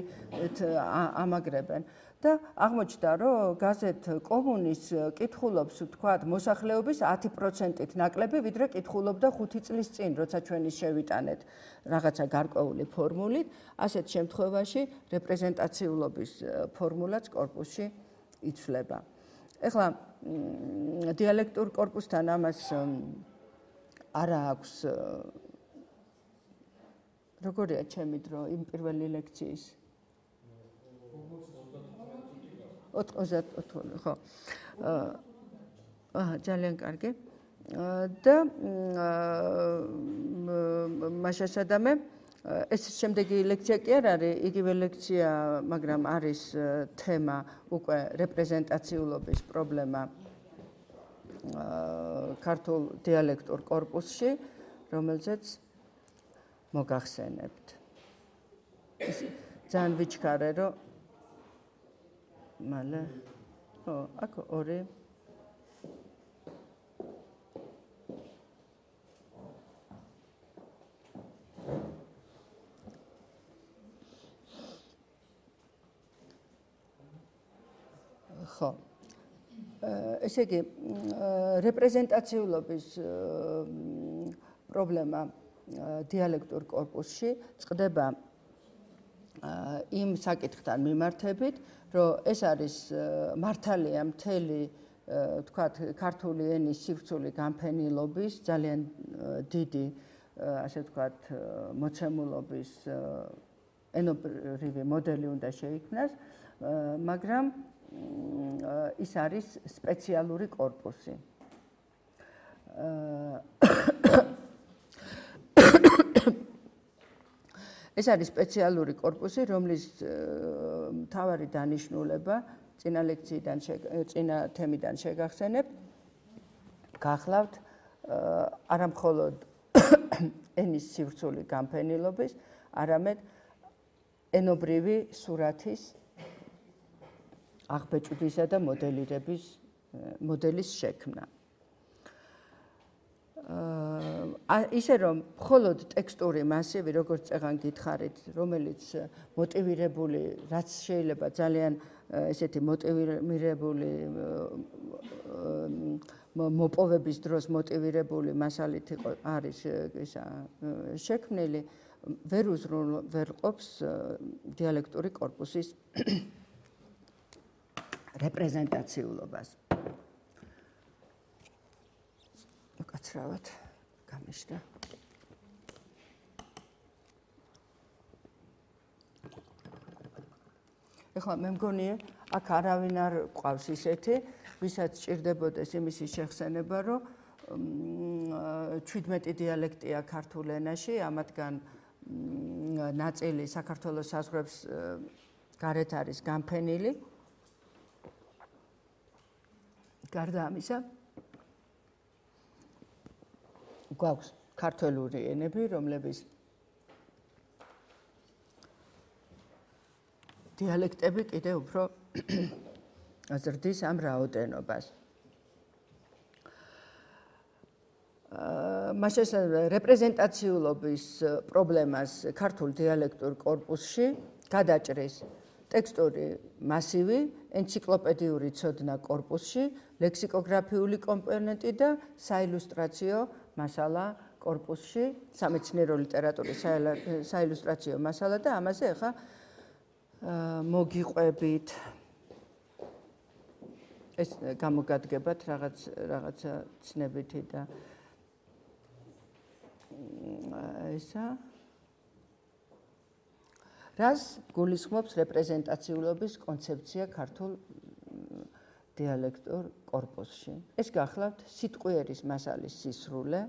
ამაგრებენ და აღმოჩნდა რომ გაზეთ კომუნის კითხულობს თქვათ მოსახლეობის 10%-ით ნაკლები ვიდრე კითხულობდა 5 წლის წინ როცა ჩვენ ის შევიტანეთ რაღაცა გარკვეული ფორმულით ასეთ შემთხვევაში რეპრეზენტაციულობის ფორმულაც კორპუსში იცვლება ეხლა დიალექტურ კორპუსთან ამას არა აქვს როგორია ჩემი დრო იმ პირველი ლექციის 94 ხო ძალიან კარგი და მაშასადამე ეს შემდეგი ლექცია კი არ არის იგივე ლექცია მაგრამ არის თემა უკვე რეპრეზენტაციულობის პრობლემა ქართულ დიალექტურ კორპუსში რომელზეც მოგახსენებთ ძალიან ვიჩქარე რომ მალე ხო აქ ორი ხო ესე იგი რეპრეზენტაციულობის პრობლემა დიალექტურ კორპუსში წყდება იმ საკითხთან მიმართებით, რომ ეს არის მართალია მთელი თქვათ ქართული ენის სივრცული განფენილობის ძალიან დიდი ასე ვთქვათ მოცემულობის ენობრივი მოდელი უნდა შეიქმნას, მაგრამ ის არის სპეციალური კორპუსი. ეს არის სპეციალური კორპუსი, რომლის მთავარი დანიშნულება წინა ლექციიდან წინა თემიდან შეგახსენებთ, გახლავთ არა მხოლოდ ენის სივრცული განფენილობის, არამედ ენობრივი სურათის აღბეჭდვისა და მოდელის შექმნა. ისე რომ მხოლოდ ტექსტური მასივი, როგორც წეგან გითხარით, რომელიც მოტივირებული, რაც შეიძლება ძალიან ესეთი მოტივირებული მოპოვების დროს მოტივირებული მასალით არის ისა შექმნილი, ვერ უზრუნველყოფს დიალექტური კორპუსის რეპრეზენტაციულობას. უკაცრავად გამიშდა. ეხლა მე მგონია, აქ არავინ არ ყავს ისეთი, ვისაც სჭირდებოდეს იმისი შეხსენება, რომ 17 დიალექტია ქართულ ენაში, ამათგან ნაწილი საქართველოს საზღვრებს გარეთ არის განფენილი. გარდა ამისა, გვაქვს ქართველური ენები, რომლების დიალექტები კიდევ უფრო აზრდის ამ რაოდენობას. მასშესაძლებელი რეპრეზენტაციულობის პრობლემას ქართულ დიალექტურ კორპუსში გადაჭრის ტექსტური მასივი, ენციკლოპედიური ცოდნა კორპუსში, ლექსიკოგრაფიული კომპონენტი და საილუსტრაციო მასალა კორპუსში, სამეცნიერო ლიტერატურის საილუსტრაციო მასალა და ამაზე ახლა მოგიყვებით. ეს გამოგადგებათ რაღაცა ცნებითი და ესა რას გულისხმობს რეპრეზენტაციულობის კონცეფცია ქართულ დიალექტურ კორპუსში. ეს გახლავთ სიტყვიერის მასალის სისრულე,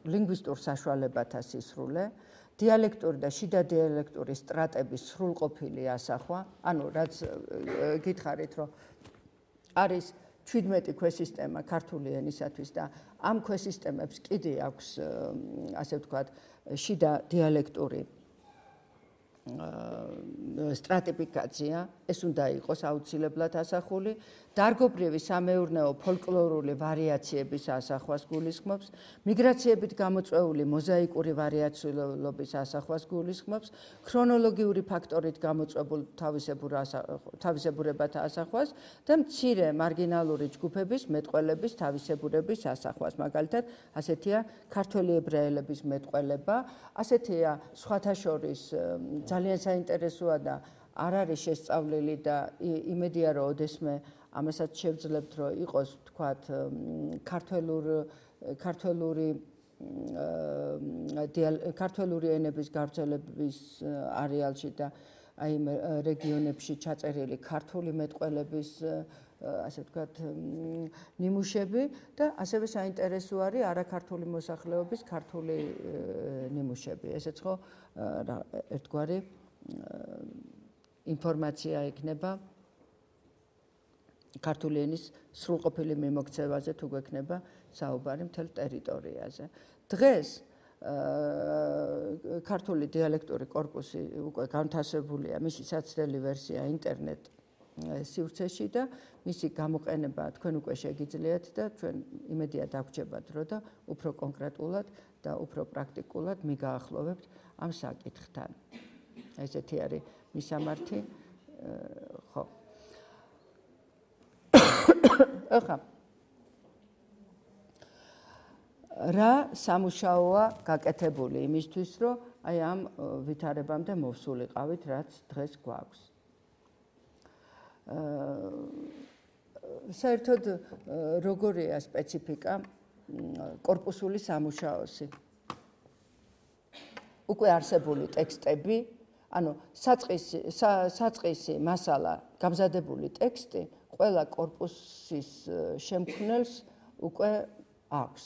ლინგვისტურ საშუალებათა სისრულე, დიალექტური და შიდა დიალექტური სტრატების სრულყოფილი ასახვა, ანუ რაც გითხარით, რომ არის 17 ქვესისტემა ქართული ენისათვის და ამ ქვესისტემებს კიდე აქვს, ასე ვთქვათ, შიდა დიალექტური სტრატიფიკაცია, ეს უნდა იყოს აუცილებლად ასახული, დარგობრივი სამეურნეო ფოლკლორული ვარიაციების ასახვას გულისხმობს, მიგრაციებით გამოწვეული მოზაიკური ვარიაციულობის ასახვას გულისხმობს, ქრონოლოგიური ფაქტორით გამოწვებულ თავისებურებათა ასახვას და მცირე მარგინალური ჯგუფების მეტყველების თავისებურების ასახვას. მაგალითად, ასეთია ქართველი ებრაელების მეტყველება, ასეთია სხვათა შორის ძალიან საინტერესოა და არ არის შესწავლილი და იმედია, რომ ოდესმე ამასაც შევძლებთ, რომ იყოს, თქვათ, ქართველური ენების გავრცელების არეალში და აი იმ რეგიონებში ჩაწერილი ქართული მეტყველების, ასე ვთქვათ, ნიმუშები და ასევე საინტერესო არის არაქართული მოსახლეობის ქართული ნიმუშები. ესეც ხო ერთგვარი ინფორმაცია იქნება ქართული ენის სრულყოფილი მიმოქცევაზე თუ გვექნება საუბარი მთელ ტერიტორიაზე. დღეს ქართული დიალექტური კორპუსი უკვე განთავსებულია, მისი საცდელი ვერსია ინტერნეტ სივრცეში და მისი გამოყენება თქვენ უკვე შეგიძლიათ და ჩვენ იმედია დაგვრჩებათ, რომ და უფრო კონკრეტულად და უფრო პრაქტიკულად მიგაახლოვებთ ამ საკითხთან. ესეთი არის მისამართი, ხო. ახლა რა სამუშაოა გაკეთებული იმისთვის, რომ აი ამ ვითარებამდე მოვსულიყავით, რაც დღეს გვაქვს. საერთოდ როგორია სპეციფიკა კორპუსული სამუშაოსი? უკვე არსებული ტექსტები, ანუ საწყისი მასალა, გამზადებული ტექსტი ყველა კორპუსის შემქმნელს უკვე აქვს.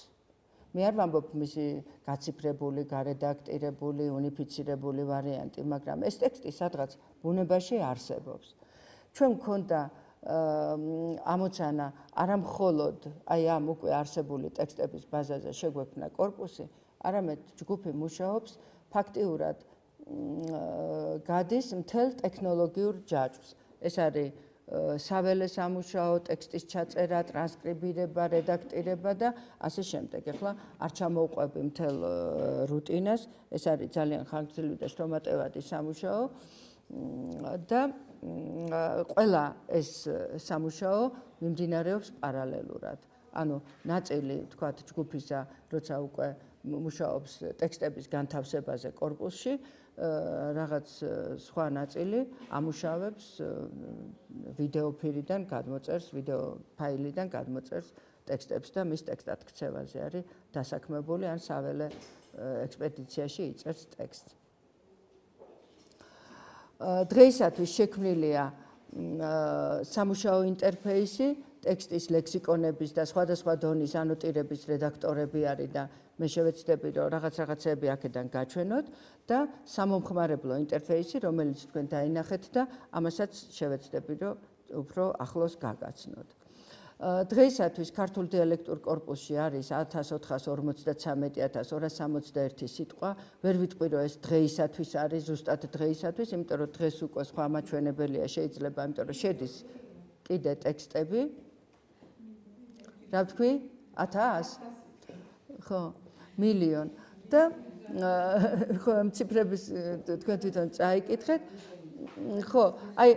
მე არ ვამბობ მისი გაციფრებული, გარედაქტირებული, უნიფიცირებული ვარიანტი, მაგრამ ეს ტექსტი სადღაც ბუნებაში არსებობს. ჩვენ გვქონდა ამოცანა არა მხოლოდ აი ამ უკვე არსებული ტექსტების ბაზაზე შეგვექმნა კორპუსი, არამედ ჯგუფი მუშაობს ფაქტიურად გადის მთელ ტექნოლოგიურ ჯაჭვს. ეს არის საველე სამუშაო, ტექსტის ჩაწერა, ტრანსკრიბირება, რედაქტირება და ასე შემდეგ. ახლა არ ჩამოვყვები მთელ რუტინას, ეს არის ძალიან ხანგრძლივი და შრომატევადი სამუშაო და ყველა ეს სამუშაო მიმდინარეობს პარალელურად. ანუ ნაწილი, თქვათ, ჯგუფისა, როცა უკვე მუშაობს ტექსტების განთავსებაზე კორპუსში, რაღაც სხვა ნაწილი ამუშავებს ვიდეო ფირიდან გადმოწერს, ვიდეო ფაილიდან გადმოწერს ტექსტებს და მის ტექსტად ქცევაზე არის დასაქმებული, ან საველე ექსპედიციაში იწერს ტექსტს. დღეისათვის შექმნილია სამუშაო ინტერფეისი, ტექსტის ლექსიკონების და სხვადასხვა დონის ანოტირების რედაქტორები არის და მე შევეცდები, რომ რაღაცები აქედან გაჩვენოთ და სამომხმარებლო ინტერფეისი, რომელიც თქვენ დაინახეთ და ამასაც შევეცდები, რომ უფრო ახლოს გაგაცნოთ. დღეისათვის ქართულ დიალექტურ კორპუსში არის 1453.261 სიტყვა. ვერ ვიტყვი, რომ ეს დღეისათვის არის, ზუსტად დღეისათვის, იმიტომ რომ დღეს უკვე სხვა მაჩვენებელია შეიძლება, იმიტომ რომ შედის კიდე ტექსტები. რა ვთქვი? 1000? ხო, მილიონ. და ხო, ამ ციფრების თქვენ თვითონ წაიკითხეთ. ხო, აი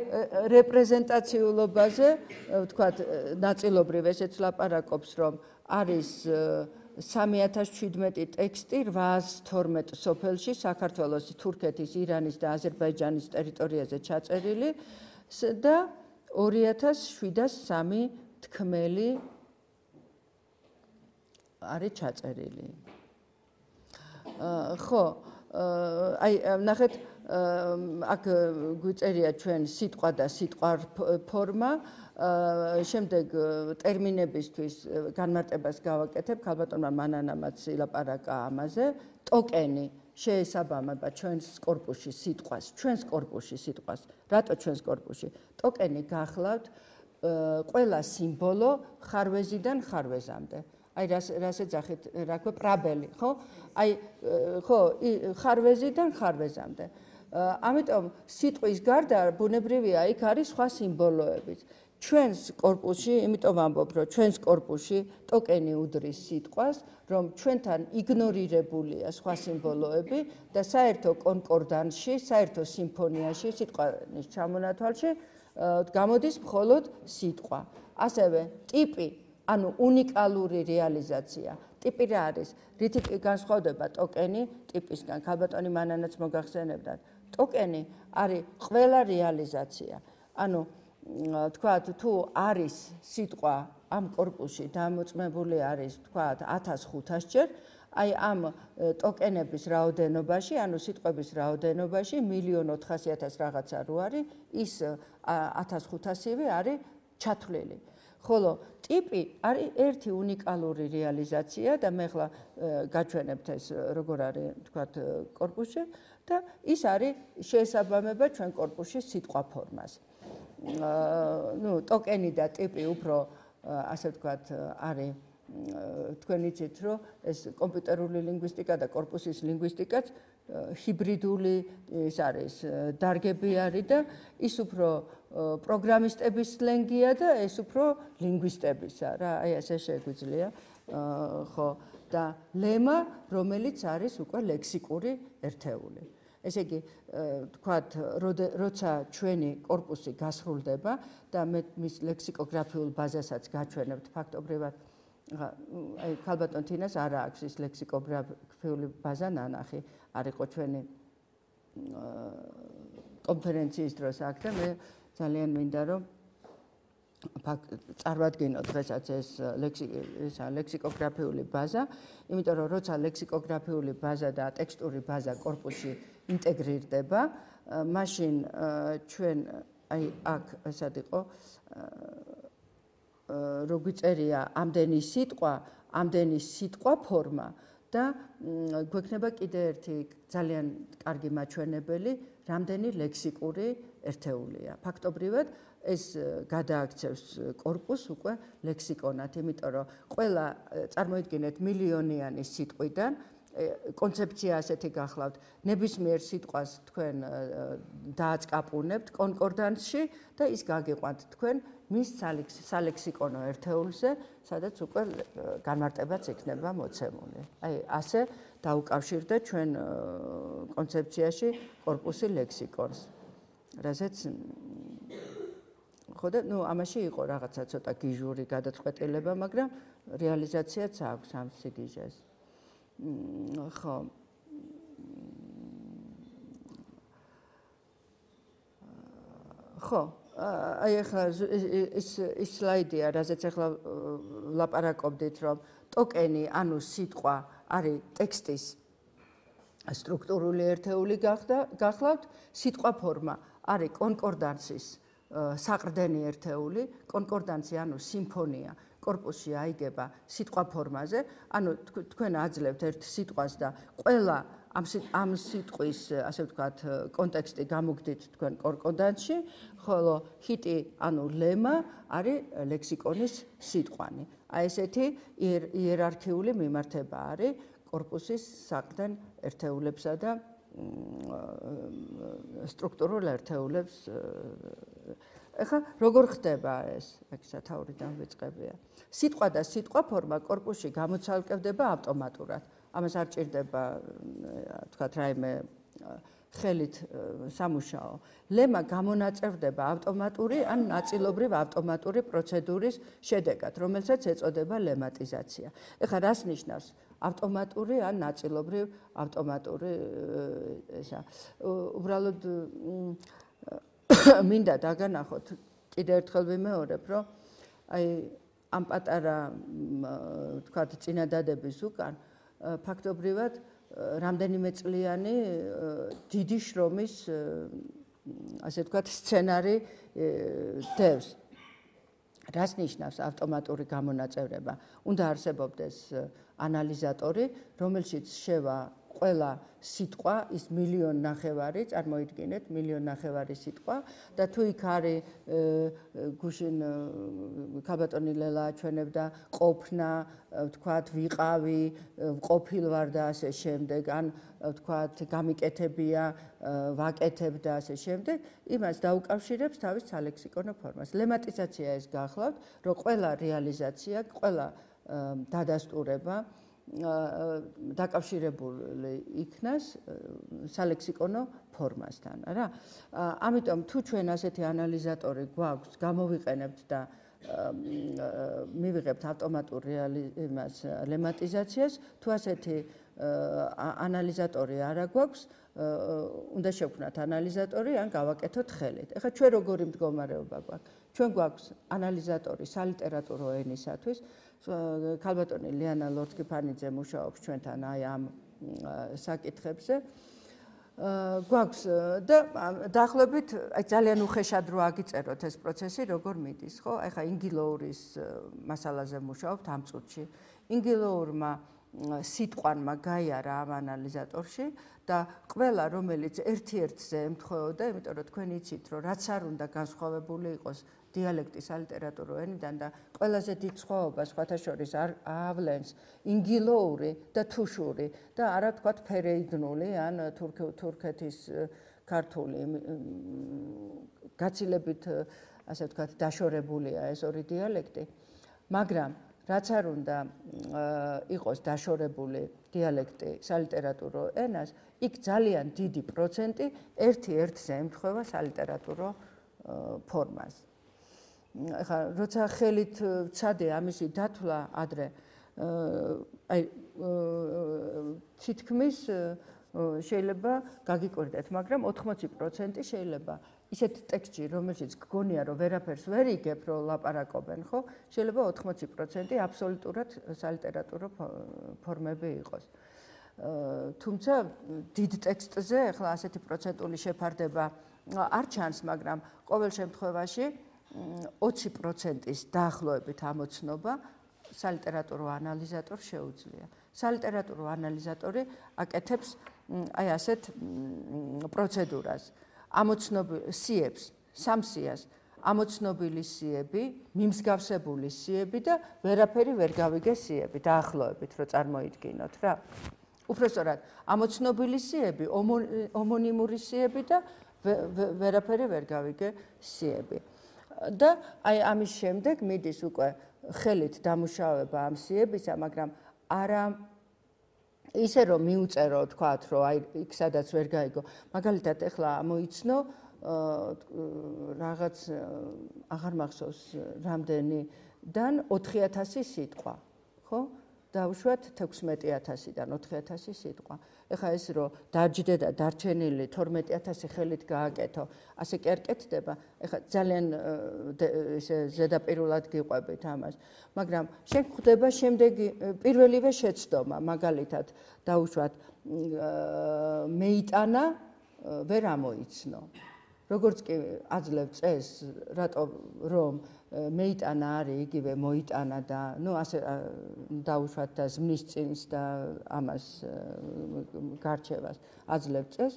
რეპრეზენტაციულობაზე, ვთქვათ, ნაწილობრივ ესეც ლაპარაკობს, რომ არის 3017 ტექსტი 812 სოფელში, საქართველოს, თურქეთის, ირანის და აზერბაიჯანის ტერიტორიაზე ჩაწერილი და 2703 თქმელი არის ჩაწერილი. ხო, აი ნახეთ აქ გვიწერია ჩვენ სიტყვა და სიტყვარ ფორმა, შემდეგ ტერმინებისთვის განმარტებას გავაკეთებ, ქალბატონმა მანანამაც ილაპარაკა ამაზე, ტოკენი შეესაბამება ჩვენს კორპუსში სიტყვას, რატო ჩვენს კორპუსში? ტოკენი გახლავთ ყველა სიმბოლო ხარვეზიდან ხარვეზამდე. აი რას ეძახით, რა ქვია, პრაბელი, ხო? აი ხო, ხარვეზიდან ხარვეზამდე. ამიტომ სიტყვის გარდა ბუნებრივია იქ არის სხვა სიმბოლოებიც. ჩვენს კორპუსში, იმიტომ ვამბობ, რომ ჩვენს კორპუსში ტოკენი უდრის სიტყვას, რომ ჩვენთან იგნორირებულია სხვა სიმბოლოები და საერთო კონკორდანსში, საერთო სიმფონიაში, სიტყვის ჩამონათვალში გამოდის მხოლოდ სიტყვა. ასევე ტიპი, ანუ უნიკალური რეალიზაცია. ტიპი რა არის? რითი განსხვავდება ტოკენი ტიპისგან? ქალბატონი მანანაც მოგახსენებდათ. ტოკენი არის ყველა რეალიზაცია. ანუ თქვათ, თუ არის სიტყვა ამ კორპუსში დამოწმებული არის, თქვათ, 1500 ჯერ, აი ამ ტოკენების რაოდენობაში, ანუ სიტყვების რაოდენობაში 1.400.000 რაღაცა რო არის, ის 1500-ივე არის ჩათვლილი. ხოლო ტიპი არის ერთი უნიკალური რეალიზაცია და მე ახლა გაჩვენებთ ეს როგორ არის, თქვათ, კორპუსში და ის არის შეესაბამება ჩვენ კორპუსში სიტყვა ფორმას. ტოკენი და ტიპი უფრო ასე ვთქვათ არის თქვენ იცით რომ ეს კომპიუტერული ლინგვისტიკა და კორპუსის ლინგვისტიკაც ჰიბრიდული ის არის დარგები არის და ის უფრო პროგრამისტების სლენგია და ეს უფრო ლინგვისტებისა რა აი ესე შეგვიძლია ხო და ლემა რომელიც არის უკვე ლექსიკური ერთეული. ესე იგი, თქვათ, როცა ჩვენი კორპუსი გასრულდება და მე მის ლექსიკოგრაფიულ ბაზასაც გაჩვენებთ ფაქტობრივად, აი ქალბატონ თინას არ აქვს ის ლექსიკოგრაფიული ბაზა ნანახი, არ იყო ჩვენი კონფერენციის დროს აქ და მე ძალიან მინდა რომ წარვადგინო დღესაც ეს ლექსიკოგრაფიული ბაზა, იმიტომ რომ როცა ლექსიკოგრაფიული ბაზა და ტექსტური ბაზა კორპუსში ინტეგრირდება, მაშინ ჩვენ აი აქ ესად იყო რო გვიწერია ამდენი სიტყვა ფორმა და გვექნება კიდე ერთი ძალიან კარგი მაჩვენებელი, რამდენი ლექსიკური ერთეულია. ფაქტობრივად ეს გადააქცევს კორპუსს უკვე ლექსიკონად, იმიტომ რომ ყველა წარმოიდგინეთ მილიონიანი სიტყვიდან კონცეფცია ასეთი გახლავთ, ნებისმიერ სიტყვას თქვენ დააწყაპუნებთ კონკორდანსში და ის გაგიყვანთ თქვენ მის სალექსიკონო ერთეულზე, სადაც უკვე განმარტებაც იქნება მოცემული. აი ასე დაუკავშირდა ჩვენ კონცეფციაში კორპუსი ლექსიკონს. რაზეც ხო და ამაში იყო რაღაცა ცოტა გიჟური გადაწყვეტილება, მაგრამ რეალიზაციაც აქვს ამ სიგიჟეს. ხო. ხო, აი ახლა ის სლაიდია, რაზეც ახლა ლაპარაკობდით, რომ ტოკენი, ანუ სიტყვა არის ტექსტის სტრუქტურული ერთეული გახლავთ, სიტყვა ფორმა არის კონკორდანსის საყრდენი ერთეული, კონკორდანსი ანუ სიმფონია კორპუსში აიგება სიტყვა ფორმაზე, ანუ თქვენ აძლევთ ერთ სიტყვას და ყველა ამ სიტყვის, ასე ვთქვათ, კონტექსტი გამოგდით თქვენ კონკორდანსში, ხოლო ჰიტი, ანუ ლემა არის ლექსიკონის სიტყვანი. აი ესეთი იერარქიული მიმართება არის კორპუსის საყრდენ ერთეულებსა და სტრუქტურულ ერთეულებს. ეხლა როგორ ხდება ეს? აქ სათაურიდან ვიწყებია. სიტყვა და სიტყვა ფორმა კორპუსში გამოცალკევდება ავტომატურად. ამას არ ჭირდება, თქვათ, რაიმე ხელით სამუშაო. ლემა გამონაწევდება ავტომატური ან ნაწილობრივ ავტომატური პროცედურის შედეგად, რომელსაც ეწოდება ლემატიზაცია. ეხლა რას ნიშნავს? ავტომატური ან ნაწილობრივ ავტომატური ესა. უბრალოდ მინდა დაგანახოთ, კიდევ ერთხელ ვიმეორებ, რომ აი ამ პატარა, თქვათ, წინადადების უკან ფაქტობრივად რამდენიმე წლიანი დიდი შრომის ასე ვთქვათ სცენარი დევს. რას ნიშნავს ავტომატური გამონაწევრება? უნდა არსებობდეს ანალიზატორი, რომელშიც შევა ყველა სიტყვა, ის 1.5 მილიონი, წარმოიდგინეთ 1.5 მილიონი სიტყვა და თუ იქ არის გუშინ ქალბატონი ლელა აჩვენებდა ყოფნა, ვთქვათ, ვიყავი, ყოფილ ვარ და ასე შემდეგ, ან ვთქვათ, გამიკეთებია, ვაკეთებ და ასე შემდეგ, იმას დაუკავშირებს თავის სალექსიკონო ფორმას. ლემატიზაცია ეს გახლავთ, რომ ყველა რეალიზაცია, ყველა დადასტურება დაკავშირებული იქნას სალექსიკონო ფორმასთან, რა. ამიტომ თუ ჩვენ ასეთი ანალიზატორი გვაქვს, გამოვიყენებთ და მივიღებთ ავტომატურ ლემატიზაციას, თუ ასეთი ანალიზატორი არა გვაქვს, უნდა შევქმნათ ანალიზატორი ან გავაკეთოთ ხელით. ეხლა ჩვენ როგორი მდგომარეობა გვაქვს? ჩვენ გვაქვს ანალიზატორი სალიტერატურო ენისათვის. ქალბატონი ლიანა ლორთქიფანიძე მუშაობს ჩვენთან აი ამ საკითხებზე. გვაქვს და დაახლოებით აი ძალიან უხეშად რო აგიწეროთ ეს პროცესი როგორ მიდის, ხო? აი ხა ინგილოურის მასალაზე მუშაობთ ამ წუთში. ინგილოურმა სიტყვანმა გაიარა ამ ანალიზატორში და ყველა რომელიც ერთ-ერთზე ემთხვეოდა, იმიტომ რომ თქვენ იცით რომ რაც არ უნდა განსხვავებული იყოს დიალექტის სალიტერატურო ენიდან და ყველაზე დიდ სხვაობას სხვათა შორის ავლენს ინგილოური და თუშური და არა თქვათ ფერეიდნული ან თურქეთის ქართული გაცილებით ასე ვთქვათ დაშორებულია ეს ორი დიალექტი, მაგრამ რაც არ უნდა იყოს დაშორებული დიალექტი სალიტერატურო ენას, იქ ძალიან დიდი პროცენტი ერთ-ერთზე ემთხვევა სალიტერატურო ფორმას. ეხლა როცა ხელით ვცადე ამისი დათვლა ადრე აი თითქმის შეიძლება გაგიკვირდეთ, მაგრამ 80% შეიძლება ისეთ ტექსტში, რომელშიც გგონია, რომ ვერაფერს ვერ იგებ, რომ ლაპარაკობენ, ხო? შეიძლება 80% აბსოლუტურად სალიტერატურო ფორმები იყოს. თუმცა დიდ ტექსტზე ახლა ასეთი პროცენტული შეფარდება არ ჩანს, მაგრამ ყოველ შემთხვევაში 20%-ის დაახლოებით ამოცნობა სალიტერატურო ანალიზატორს შეუძლია. სალიტერატურო ანალიზატორი აკეთებს აი ასეთ პროცედურას. სიებს, სამსიას, ამოცნობილი სიები, მიმსგავსებული სიები და ვერაფერი ვერ გავიგე სიები, დაახლოებით რო წარმოიდგინოთ რა. უпростоრად, ამოცნობილი სიები, ომონიმური სიები და ვერაფერი ვერ გავიგე სიები. და აი ამის შემდეგ მიდის უკვე ხელით დამუშავება ამ სიებისა, მაგრამ არა ისე რომ მიუწერო თქვათ რომ აი იქ სადაც ვერ გაიგო. მაგალითად ეხლა მოიცნო რაღაც აღარ მახსოვს რამდენიდან 4000 სიტყვა, ხო? დავუშვათ 16000-დან 4000 სიტყვა. ეხლა ეს რომ დაჯდე და დარჩენილი 12000 ხელით გააკეთო, ასე კი არ კეთდება. ეხლა ძალიან ესე ზედაპირულად გიყვებით ამას. მაგრამ შენ ხვდება შემდეგი პირველივე შეცდომა, მაგალითად დავუშვათ მეიტანა ვერ ამოიცნო. როგორც კი აძლევ წეს, რატო რომ მეიტანა არის იგივე მოიტანა და ნუ ასე დაუშვათ და ზმნის წინს და ამას გარჩევას აძლევ წეს,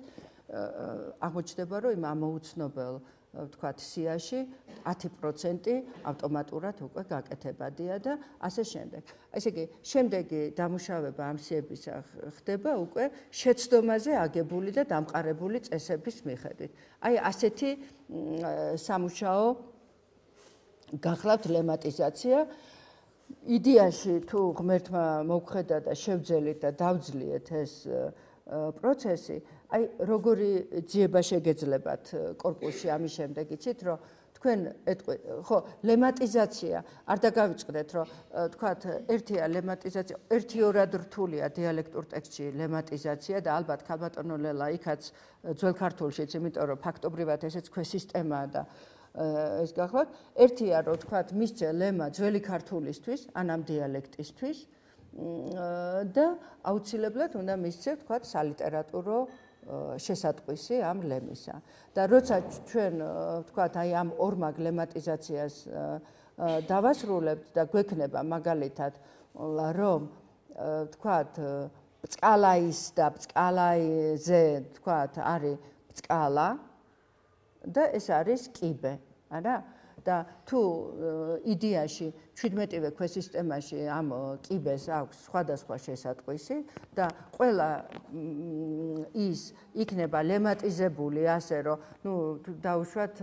აღმოჩნდება რომ იმ ამოუცნობელ ვთქვათ სიაში 10% ავტომატურად უკვე გაკეთებადია და ასე შემდეგ. ესე იგი, შემდეგი დამუშავება ამ სიების ხდება უკვე შეცდომაზე აგებული და დამყარებული წესების მიხედვით. აი ასეთი სამუშაო გახლავთ ლემატიზაცია. იდეაში თუ ღმერთმა მოგხედა და შევძელით და დავძლიეთ ეს პროცესი, აი როგორი ძიება შეგეძლებათ კორპუსში ამის შემდეგ იცით რომ თქვენ ხო ლემატიზაცია არ დაგავიწყდეთ რომ თქვათ ერთია ლემატიზაცია ერთი-ორად რთულია დიალექტურ ტექსტში ლემატიზაცია და ალბათ ქალბატონო ლელა იქაც ძველ ქართულშიც, იმიტომ რომ ფაქტობრივად ესეც ქვესისტემაა და ეს გახლავთ ერთია რომ თქვათ მისცე ლემა ძველი ქართულისთვის ან ამ დიალექტისთვის და აუცილებლად უნდა მისცევთ, თქვათ, სალიტერატურო შესატყვისი ამ ლემისა. და როცა ჩვენ, თქვათ, აი ამ ორმაგ ლემატიზაციას დავასრულებთ და გვექნება მაგალითად, რომ თქვათ, ბწყალაის და ბწყალაიზე, თქვათ, არის ბწყალა და ეს არის კიბე, არა? და თუ იდეაში 17-ვე ქვესისტემაში ამ კიბეს აქვს სხვადასხვა შესატყვისი და ყველა ის იქნება ლემატიზებული ასე რომ დაუშვათ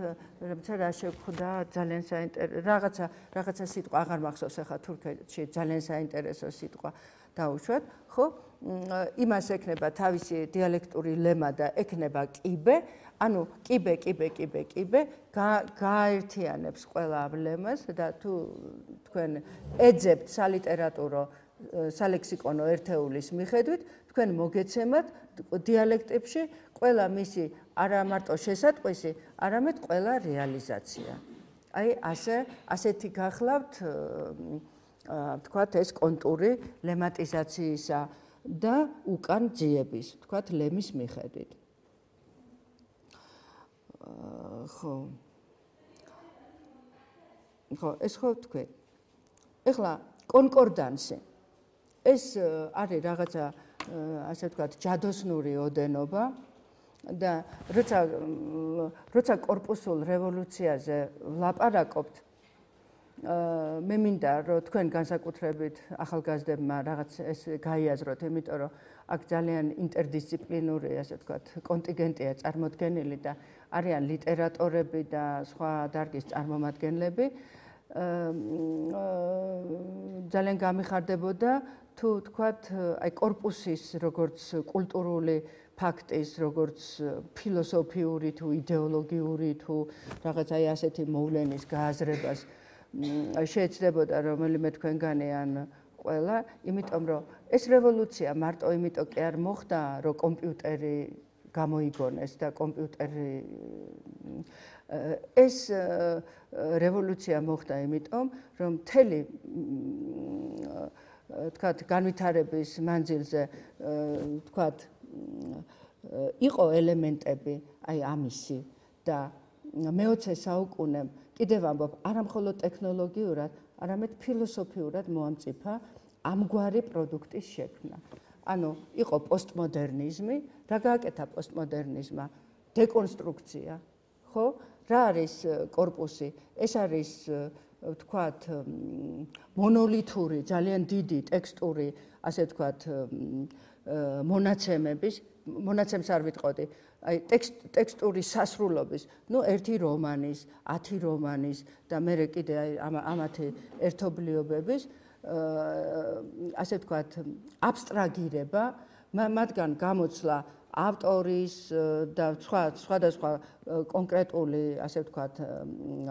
რა შეგხვდა ძალიან საინტერესო რაღაცა სიტყვა აღარ მახსოვს ახლა თურქეთში ძალიან საინტერესო სიტყვა დაუშვათ ხო იმას ექნება თავისი დიალექტური ლემა და ექნება კიბე ანუ კიბე გააერთიანებს ყველა ამ ლემას და თუ თქვენ ეძებთ სალიტერატურო სალექსიკონო ერთეულის მიხედვით თქვენ მოგეცემათ დიალექტებში ყველა მისი არა მარტო შესატყვისი, არამედ ყველა რეალიზაცია. აი ასეთი გახლავთ თქვათ ეს კონტური ლემატიზაციისა და უკან ძიების, თქვათ ლემის მიხედვით. ხო, ეს ხო თქვენ. ეხლა კონკორდანსი. ეს არის რაღაცა ასე ვთქვათ, ჯადოსნური ოდენობა და როცა კორპუსულ რევოლუციაზე ვლაპარაკობთ, მე მინდა რომ თქვენ განსაკუთრებით ახალგაზრდებმა რაღაც ეს გაიაზროთ, იმიტომ რომ აქ ძალიან ინტერდისციპლინური, ასე ვთქვათ, კონტინგენტია წარმოდგენილი და არიან ლიტერატორები და სხვა დარგის წარმომადგენლები. ძალიან გამიხარდებოდა თუ თქვათ აი კორპუსის როგორც კულტურული ფაქტის, როგორც ფილოსოფიური თუ იდეოლოგიური თუ რაღაც აი ასეთი მოვლენის გააზრებას შეეცდებოდა რომელიმე თქვენგანი ან ყველა, იმიტომ რომ ეს რევოლუცია მარტო იმიტომ კი არ მოხდა, რომ კომპიუტერი გამოიგონეს და კომპიუტერი ეს რევოლუცია მოხდა იმიტომ, რომ მთელი თქვათ განვითარების მანძილზე თქვათ იყო ელემენტები აი ამისი და მე-20 საუკუნემ კიდევ ამბობ არა მხოლოდ ტექნოლოგიურად, არამედ ფილოსოფიურად მოამწიფა ამგვარი პროდუქტის შექმნა. ანუ იყო პოსტმოდერნიზმი, რა გააკეთა პოსტმოდერნიზმმა? დეკონსტრუქცია, ხო? რა არის კორპუსი? ეს არის ვთქვათ მონოლითური, ძალიან დიდი ტექსტური, ასე ვთქვათ, მონაცემს არ ვიტყოდი, აი ტექსტური სასრულობის, ერთი რომანის, 10 რომანის და მერე კიდე ამათი ერთობლიობების ასე ვთქვათ, აბსტრაგირება, მათგან გამოცლა ავტორის და სხვადასხვა კონკრეტული, ასე ვთქვათ,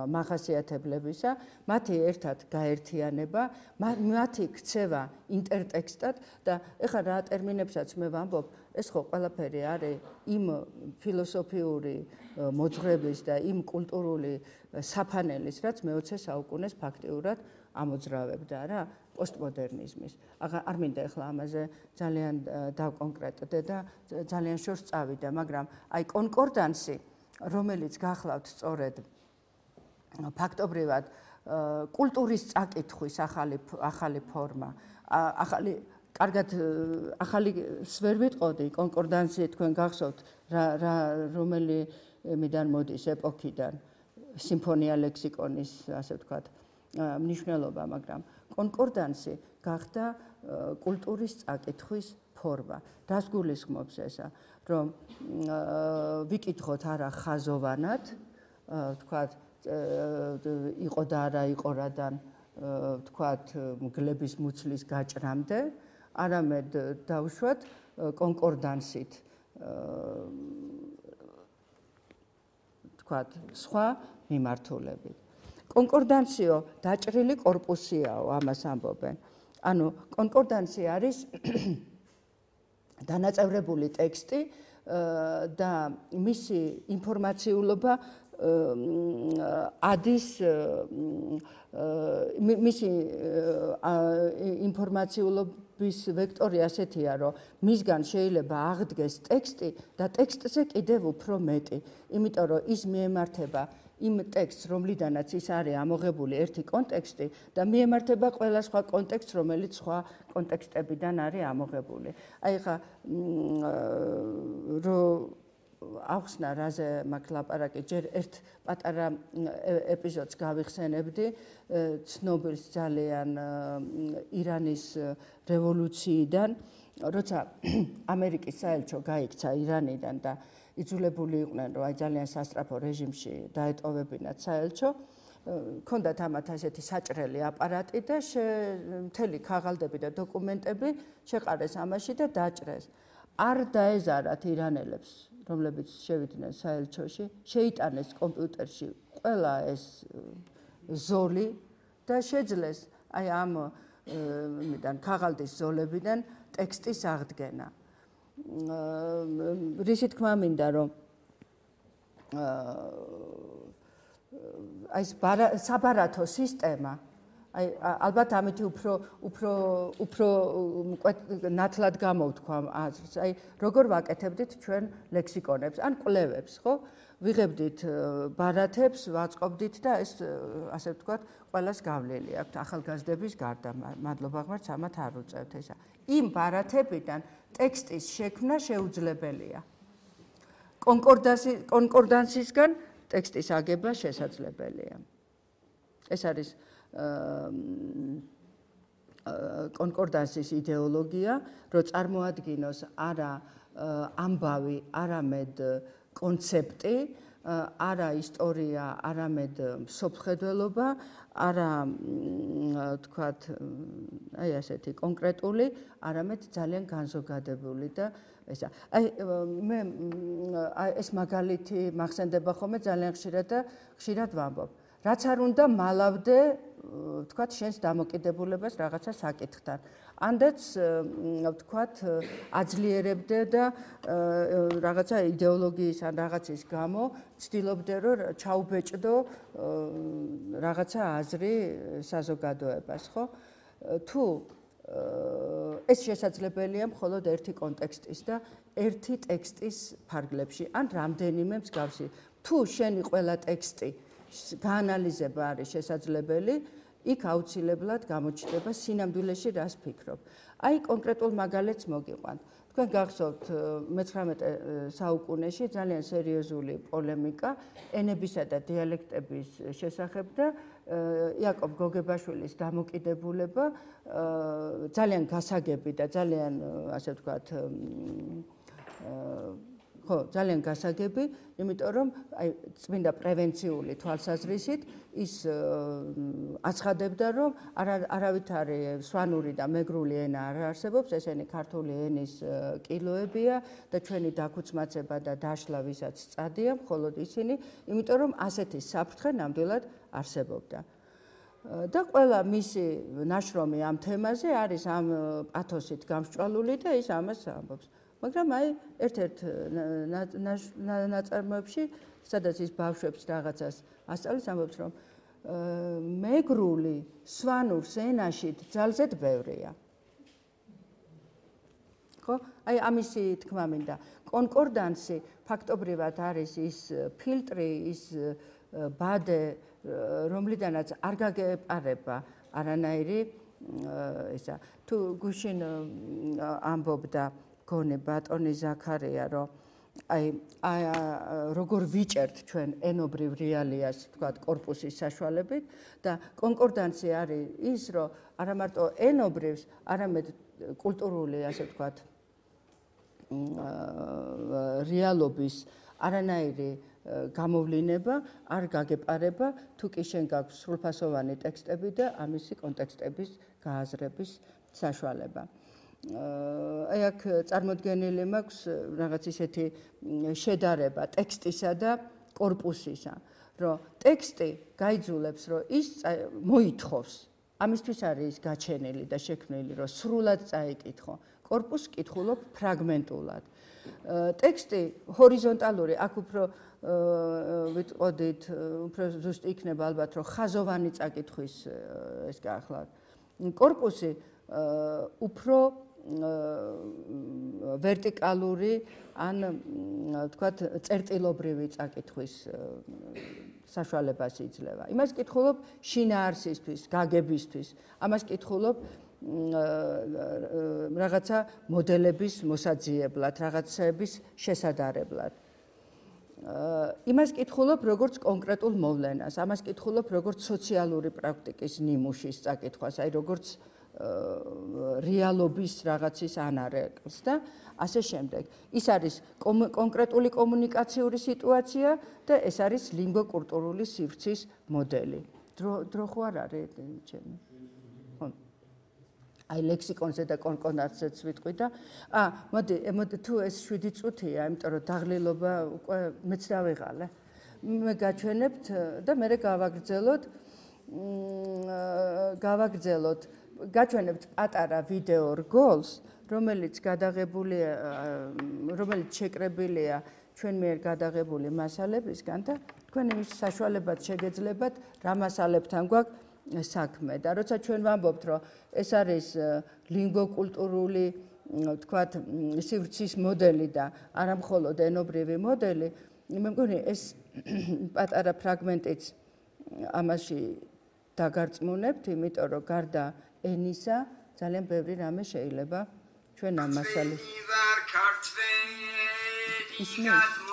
მახასიათებლებისა, მათი ერთად გაერთიანება, მათი ქცევა ინტერტექსტად და ეხლა რა ტერმინებსაც მე ვამბობ, ეს ხო ყველაფერი არის იმ ფილოსოფიური მოძღვრების და იმ კულტურული საფანელის, რაც მე-20 საუკუნეს ფაქტიურად ამოძრავებდა რა პოსტმოდერნიზმის. არ მინდა ეხლა ამაზე ძალიან დავკონკრეტდე და ძალიან შორს წავიდე, მაგრამ აი კონკორდანსი, რომელიც გახლავთ სწორედ ფაქტობრივად კულტურის წაკითხვის ახალი ფორმა, კარგად ახალი ვერ ვიტყოდი, კონკორდანსი თქვენ გახსოვთ რომელიმიდან მოდის ეპოქიდან, სიმფონია ლექსიკონის, ასე ვთქვათ, მნიშვნელობა, მაგრამ კონკორდანსი გახდა კულტურის წაკითხვის ფორმა. რას გულისხმობს ესა? რომ ვიკითხოთ არა ხაზოვანად, ვთქვათ, იყო და არა იყო რადგან ვთქვათ, მგლების მუცლის გაჭრამდე, არამედ დავუშვათ კონკორდანსით ვთქვათ, სხვა მიმართულებით. კონკორდანსიო დაჭრილი კორპუსიაო, ამას ამბობენ. ანუ კონკორდანსი არის დანაწევრებული ტექსტი და მისი ინფორმაციულობა ადის მისი ინფორმაციულობის ვექტორი ასეთია, რომ მისგან შეიძლება აღდგეს ტექსტი და ტექსტზე კიდევ უფრო მეტი, იმიტომ რომ ის მიემართება იმ ტექსტს, რომლიდანაც ის არის ამოღებული ერთი კონტექსტი და მიემართება ყველა სხვა კონტექსტს, რომელიც სხვა კონტექსტებიდან არის ამოღებული. აი ხა ახსნა რაზე მაქვს ლაპარაკი, ჯერ ერთ პატარა ეპიზოდს გავიხსენებდი, ცნობილს ძალიან ირანის რევოლუციიდან, როცა ამერიკის საელჩო გაიქცა ირანიდან და იძულებული იყვნენ, რომ აი ძალიან სასწრაფო რეჟიმში დაეტოვებინათ საელჩო, ჰქონდათ ამათ ასეთი საჭრელი აპარატი და მთელი ქაღალდები და დოკუმენტები შეყარეს ამაში და დაჭრეს. არ დაეზარათ ირანელებს, რომლებიც შევიდნენ საელჩოში, შეიტანეს კომპიუტერში ყველა ეს ზოლი და შეძლეს აი ამ ქაღალდის ზოლებიდან ტექსტის აღდგენა. რისი თქმა მინდა, რომ აი საბარათო სისტემა, აი ალბათ ამითი უფრო ნათლად გამოვთქვა აზრს. აი როგორ ვაკეთებდით ჩვენ ლექსიკონებს ან კვლევებს, ხო? ვიღებდით ბარათებს, ვაწყობდით და ეს ასე ვთქვათ, ყველას გავლილი აქვთ ახალგაზრდების გარდა. მადლობა ღმერთს, ამათ არ უწევთ ესა. იმ ბარათებიდან ტექსტის შექმნა შეუძლებელია. კონკორდანსისგან ტექსტის აგება შესაძლებელია. ეს არის კონკორდანსის იდეოლოგია, რომ წარმოადგინოს არა ამბავი, არამედ კონცეპტი, არა ისტორია, არამედ მსოფლმხედველობა, არა თქვათ, აი ასეთი კონკრეტული, არამედ ძალიან განზოგადებული და ესა. აი მე ეს მაგალითი მახსენდება ხოლმე ძალიან ხშირად ვამბობ. რაც არ უნდა მალავდე, ვთქვათ, შენს დამოკიდებულებას რაღაცა საკითხთან. ანდაც, ვთქვათ, აძლიერებდე და რაღაცა იდეოლოგიის ან რაღაცის გამო ცდილობდე, რომ ჩაუბეჭდო რაღაცა აზრი საზოგადოებას, ხო? თუ ეს შესაძლებელია მხოლოდ ერთი კონტექსტის და ერთი ტექსტის ფარგლებში, ან რამდენიმე მსგავსი. თუ შენი ყველა ტექსტი გაანალიზება არის შესაძლებელი, იქ აუცილებლად გამოჩნდება სინამდვილეში რას ფიქრობ. აი კონკრეტულ მაგალითს მოგიყვანთ. თქვენ გახსოვთ 19 საუკუნეში ძალიან სერიოზული პოლემიკა ენებისა და დიალექტების შესახებ და იაკობ გოგებაშვილის დამოკიდებულება ძალიან გასაგები და ძალიან ასე ვთქვათ ხო, ძალიან გასაგები, იმიტომ რომ აი წმინდა პრევენციული თვალსაზრისით ის აცხადებდა, რომ არავითარი სვანური და მეგრული ენა არ არსებობს, ესენი ქართული ენის კილოებია და ჩვენი დაქუცმაცება და დაშლა ვისაც სწადია, მხოლოდ ისინი, იმიტომ რომ ასეთი საფრთხე ნამდვილად არსებობდა. და ყველა მისი ნაშრომი ამ თემაზე არის ამ პათოსით გამსჭვალული და ის ამას ამბობს. მაგრამ აი ერთ-ერთ ნაწარმოებში, სადაც ის ბავშვებს რაღაცას ასწავლის, ამბობს, რომ მეგრული სვანურს ენაში ძალზედ ბევრია. ხო? აი ამისი თქმა მინდა. კონკორდანსი ფაქტობრივად არის ის ფილტრი, ის ბადე, რომლიდანაც არ გაგეპარება არანაირი ესა. თუ გუშინ ამბობდა გონე ბატონი ზაქარია, რომ აი როგორ ვიჭერთ ჩვენ ენობრივ რეალიას, თქვათ, კორპუსის საშუალებით და კონკორდანსი არის ის, რომ არა მარტო ენობრივს, არამედ კულტურული, ასე ვთქვათ, რეალობის არანაირი გამოვლინება არ გაგეპარება, თუ კი შენ გაქვს სრულფასოვანი ტექსტები და ამისი კონტექსტების გააზრების საშუალება. აი აქ წარმოდგენილი მაქვს რაღაც ისეთი შედარება ტექსტისა და კორპუსისა, რომ ტექსტი გაიძულებს, რომ ის მოითხოვს, ამისთვის არის ის გაჩენილი და შექმნილი, რომ სრულად წაიკითხო. კორპუსს კითხულობ ფრაგმენტულად. ტექსტი ჰორიზონტალური, აქ უფრო ვიტყოდით, უფრო ზუსტი იქნება ალბათ, რომ ხაზოვანი წაკითხვის ეს გახლავთ. კორპუსი უფრო ვერტიკალური ან თქვათ წერტილობრივი წაკითხვის საშუალებას იძლევა. იმას კითხულობ შინაარსისთვის, გაგებისთვის. ამას კითხულობ რაღაცა მოდელების მოსაძიებლად, რაღაცების შესადარებლად. იმას კითხულობ როგორც კონკრეტულ მოვლენას, ამას კითხულობ როგორც სოციალური პრაქტიკის ნიმუშის წაკითხვას, აი როგორც რეალობის რაღაცის ანარეკლს და ასე შემდეგ. ის არის კონკრეტული კომუნიკაციური სიტუაცია და ეს არის ლინგვო-კულტურული სივრცის მოდელი. დრო ხო არ არის ჩემი? აი ლექსიკონზე და კონკორდანსზეც ვიტყვი და მოდი თუ ეს 7 წუთია, იმიტომ რომ დაღლილობა უკვე მეც დავიღალე. მე გაჩვენებთ და მე გავაგრძელოთ პატარა ვიდეო რგოლს, რომელიც გადაღებულია, რომელიც შეკრებილია ჩვენ მიერ გადაღებული მასალებისგან და თქვენ იმის საშუალებად შეგეძლებათ რა მასალებთან გვაქვს საქმე და როცა ჩვენ ვამბობთ, რომ ეს არის ლინგვო-კულტურული, თქვათ, სივრცის მოდელი და არა მხოლოდ ენობრივი მოდელი, მე მგონი ეს პატარა ფრაგმენტიც ამაში დაგარწმუნებთ, იმიტომ რომ გარდა ენისა ძალიან ბევრი რამე შეიძლება ჩვენ ამ მასალას ისმის.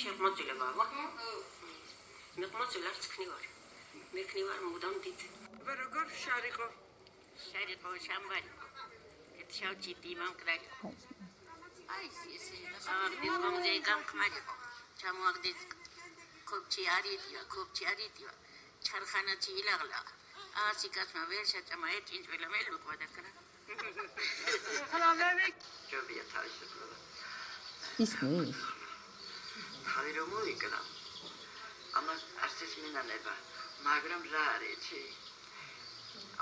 შემოწილე მამა. მე მოწილარც ქნივარ. მე ქნივარ მუდამ დიდ. როგორ შარიყო? შარიყო შამბარი. შავჭი დიმამკრალი. აი ეს მე გამკმარიყო. ჩამოაგდეთ კოპჩი არიდია. ჩარხანაცი ილაღლა. ასიკაცმა ვერ შეჭამა ეჭინჭვილა მე ლუყვა დაკრა. ხალამები. ჯობია თავისუფლება. ისმის. ხარი რომ მოიკლა. ამას არცის მინანება, მაგრამ რა არის?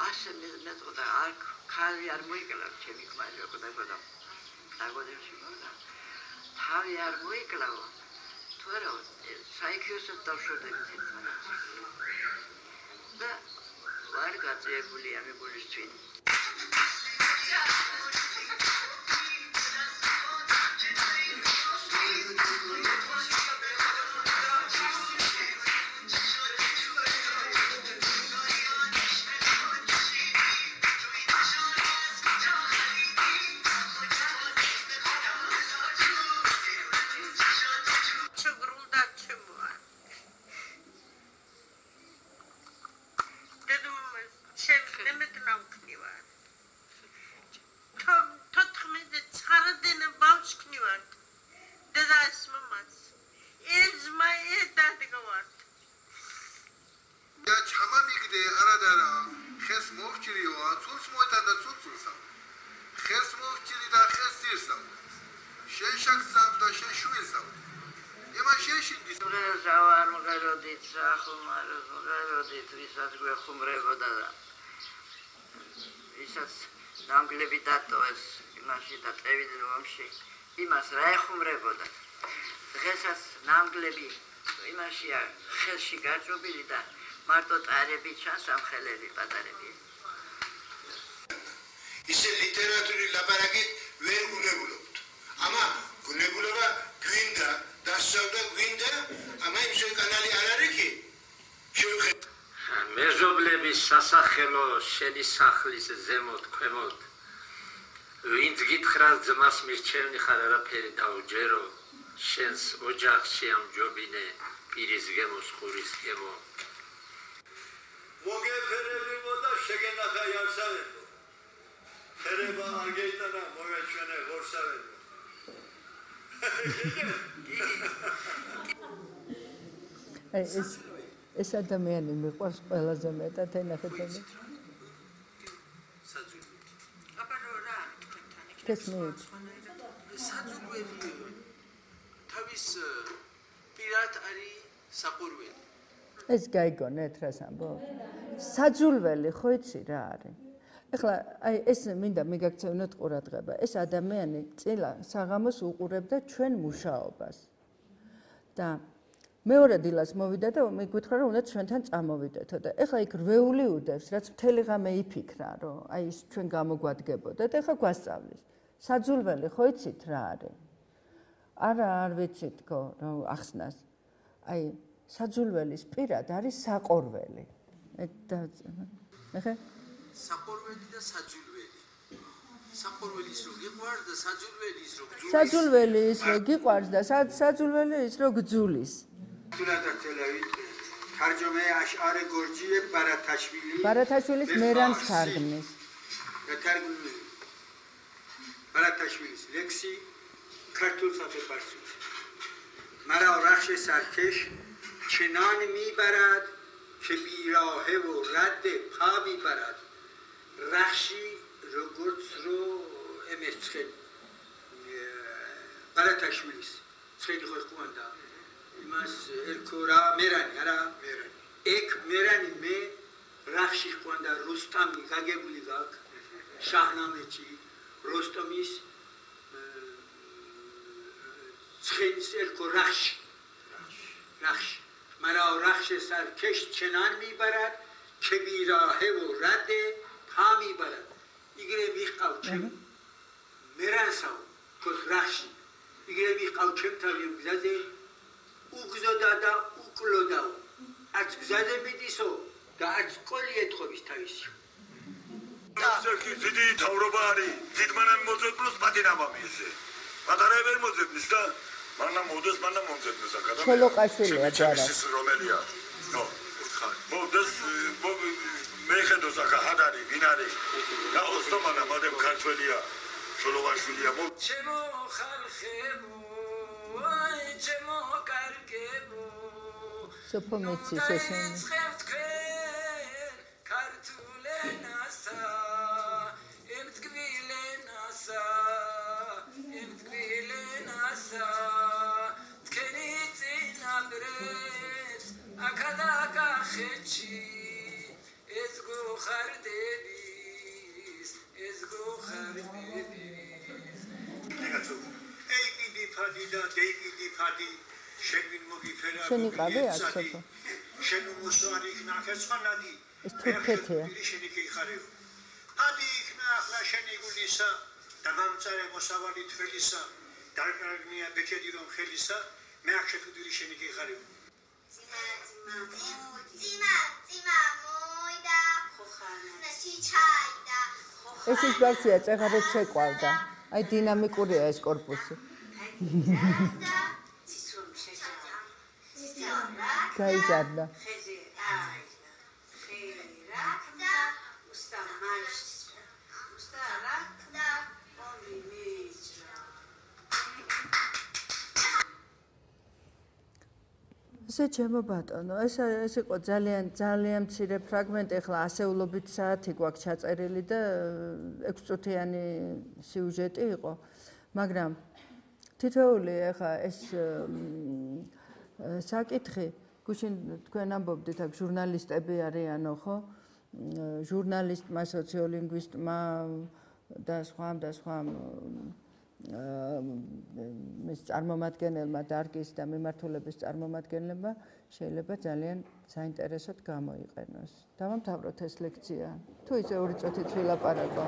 ასე მეტყოდა არ ხარი არ მოიკლა ჩემი ქმარი როგორ დაგოდა. დაგოდებში მოდა. თავი არ მოიკლა. თორე საიქიოსად დავშორდებით ერთმანეთს. და ვარ გაწეული ამ გულისთვის. ნამგლები დატოვეს იმაში და წევიდნენ ომში იმას რა ეხუმრებოდა დღესაც ნამგლები იმაშია ხელში გაჭობილი და მარტო წარები ჩანს ამ ხელები პატარები ისე ლიტერატურის ლაპარაკით ვერ გუნებულობთ ამა გუნებულობა გვინდა დასწავლა გვინდა ამა იმის კანალი არ არის კი შევხედე მეზობლების სასახელო შენი სახლის ზემოთ ქვემოთ ვინც გითხრას ძმას მირჩევნი ხარ არაფერი დაუჯერო შენს ოჯახში ამჯობინე პირის გემოს ხურის გემო მოგეფერებო და შეგენახა იარსავებო ფერება არ გეიტანა მოგეჩვენე ღორსავებო ეს ადამიანი მიყვარს ყველაზე მეტად ენახეთ აბა გესმით? საძულველი თავის პირად არის საყურველი. ეს გაიგონეთ რას ამბობ? საძულველი ხო იცი რა არის? ეხლა აი ეს მინდა მიგაქცევნოთ ყურადღება. ეს ადამიანი წილა საღამოს უყურებდა ჩვენ მუშაობას. და მეორე დილას მოვიდა და მიგვითხრა რომ უნდა ჩვენთან წამოვიდეთო და ეხლა იქ რვეული უდევს, რაც მთელი ღამე იფიქრა, რომ აი ის ჩვენ გამოგვადგებოდა და ეხლა გვასწავლის. საძულველი ხო იცით რა არის? არა, არ ვიცით თქო, რომ ახსნას. აი საძულველის პირად არის საყორველი. ეხა საყორველი და საძულველი. საყორველის რო გიყვარს და საძულველის რო გძულის. საძულველის რო გიყვარს და საძულველის რო გძულის. თულადათელავით თარჯომე აშარე გორჯიე ბარათაშვილის მერანს თარგმნის. თარგმნილი ბარათაშვილის ლექსი ქართულ საფეხბურთში. მარა რახშე სარქეშ ჩენან მიბარად ჩებირაჰე ო რადე ფა მიბარად რახში როგორც რო ემერცხე ბარათაშვილის ცხელი ხო ხوانდა იმას ერქორა მერანი არა მერანი ეკ მერანი მე რახში ხوانდა რუსტამი გაგებული გაკ შაჰნამეჩი როსტომის ცხელის ერქო რახში მარა რახში სარქეშ ჩენან მიბარად ჩებირაჰე ო რადე ფა მიბარად იგრე მიყავ ჩემ მერანსა ქოს რახში იგრე მიყავ ჩემთან გზაზე უგზოდა და უკლოდა არც გზაზე მიდისო და არც სკოლი ეთხოვის თავისი ზეგი დიდი თავრობა არის დიდმანამ მოძებნოს პატინამამი ესე პატარა ვერ მოძებნის და მანამ მოდეს მანამ მომძებნოს აკადა ჩოლოყაშვილია ჯარა ის რომელია ნო მოდეს მე ხედოს აკა ჰადარი ვინ არის და ოსტომანა მადემ ქართველია ჩოლოყაშვილია ჩემო ხალხებო აი ჩემო კარგებო სოფომეცის ესენი ქართულენასა ემთკვილენასა თქვენი წინაპრებს აკადა კახეთში ეს გოხარდების ეი კიდი ფადი და დეი კიდი ფადი შენ ვინ მოგიფერა შენი ყავი აქ სოფო შენ მოსვარი ხნახერცხანადი ეს თურქეთია შენი კიხარიო ადი იქნა ახლა შენი გულისა და გამწარე მოსავალი თველისა დარკარგნია ბეჭედი რომ ხელისა მე აქ შეთუდილი შენი კიხარიო ძიმა მოიდა ხოხანაში ჩაიდა ეს ის ბავშვია წეღარეთ შეყვავდა აი დინამიკურია ეს корпуსი გაიზარდა ესე ჩემო ბატონო ეს იყო ძალიან მცირე ფრაგმენტი ახლა ასეულობით საათი გვაქვს ჩაწერილი და 6 წუთიანი სიუჟეტი იყო მაგრამ თითოეული ახლა ეს საკითხი გუშინ თქვენ ამბობდით აქ ჟურნალისტები არიანო ხო ჟურნალისტმა სოციოლინგვისტმა და სხვა მის წარმომადგენელმა დარგის და მიმართულების წარმომადგენლებმა შეიძლება ძალიან საინტერესოდ გამოიყენოს. დავამთავროთ ეს ლექცია. თუ ისე 2 წუთით ვილაპარაკო.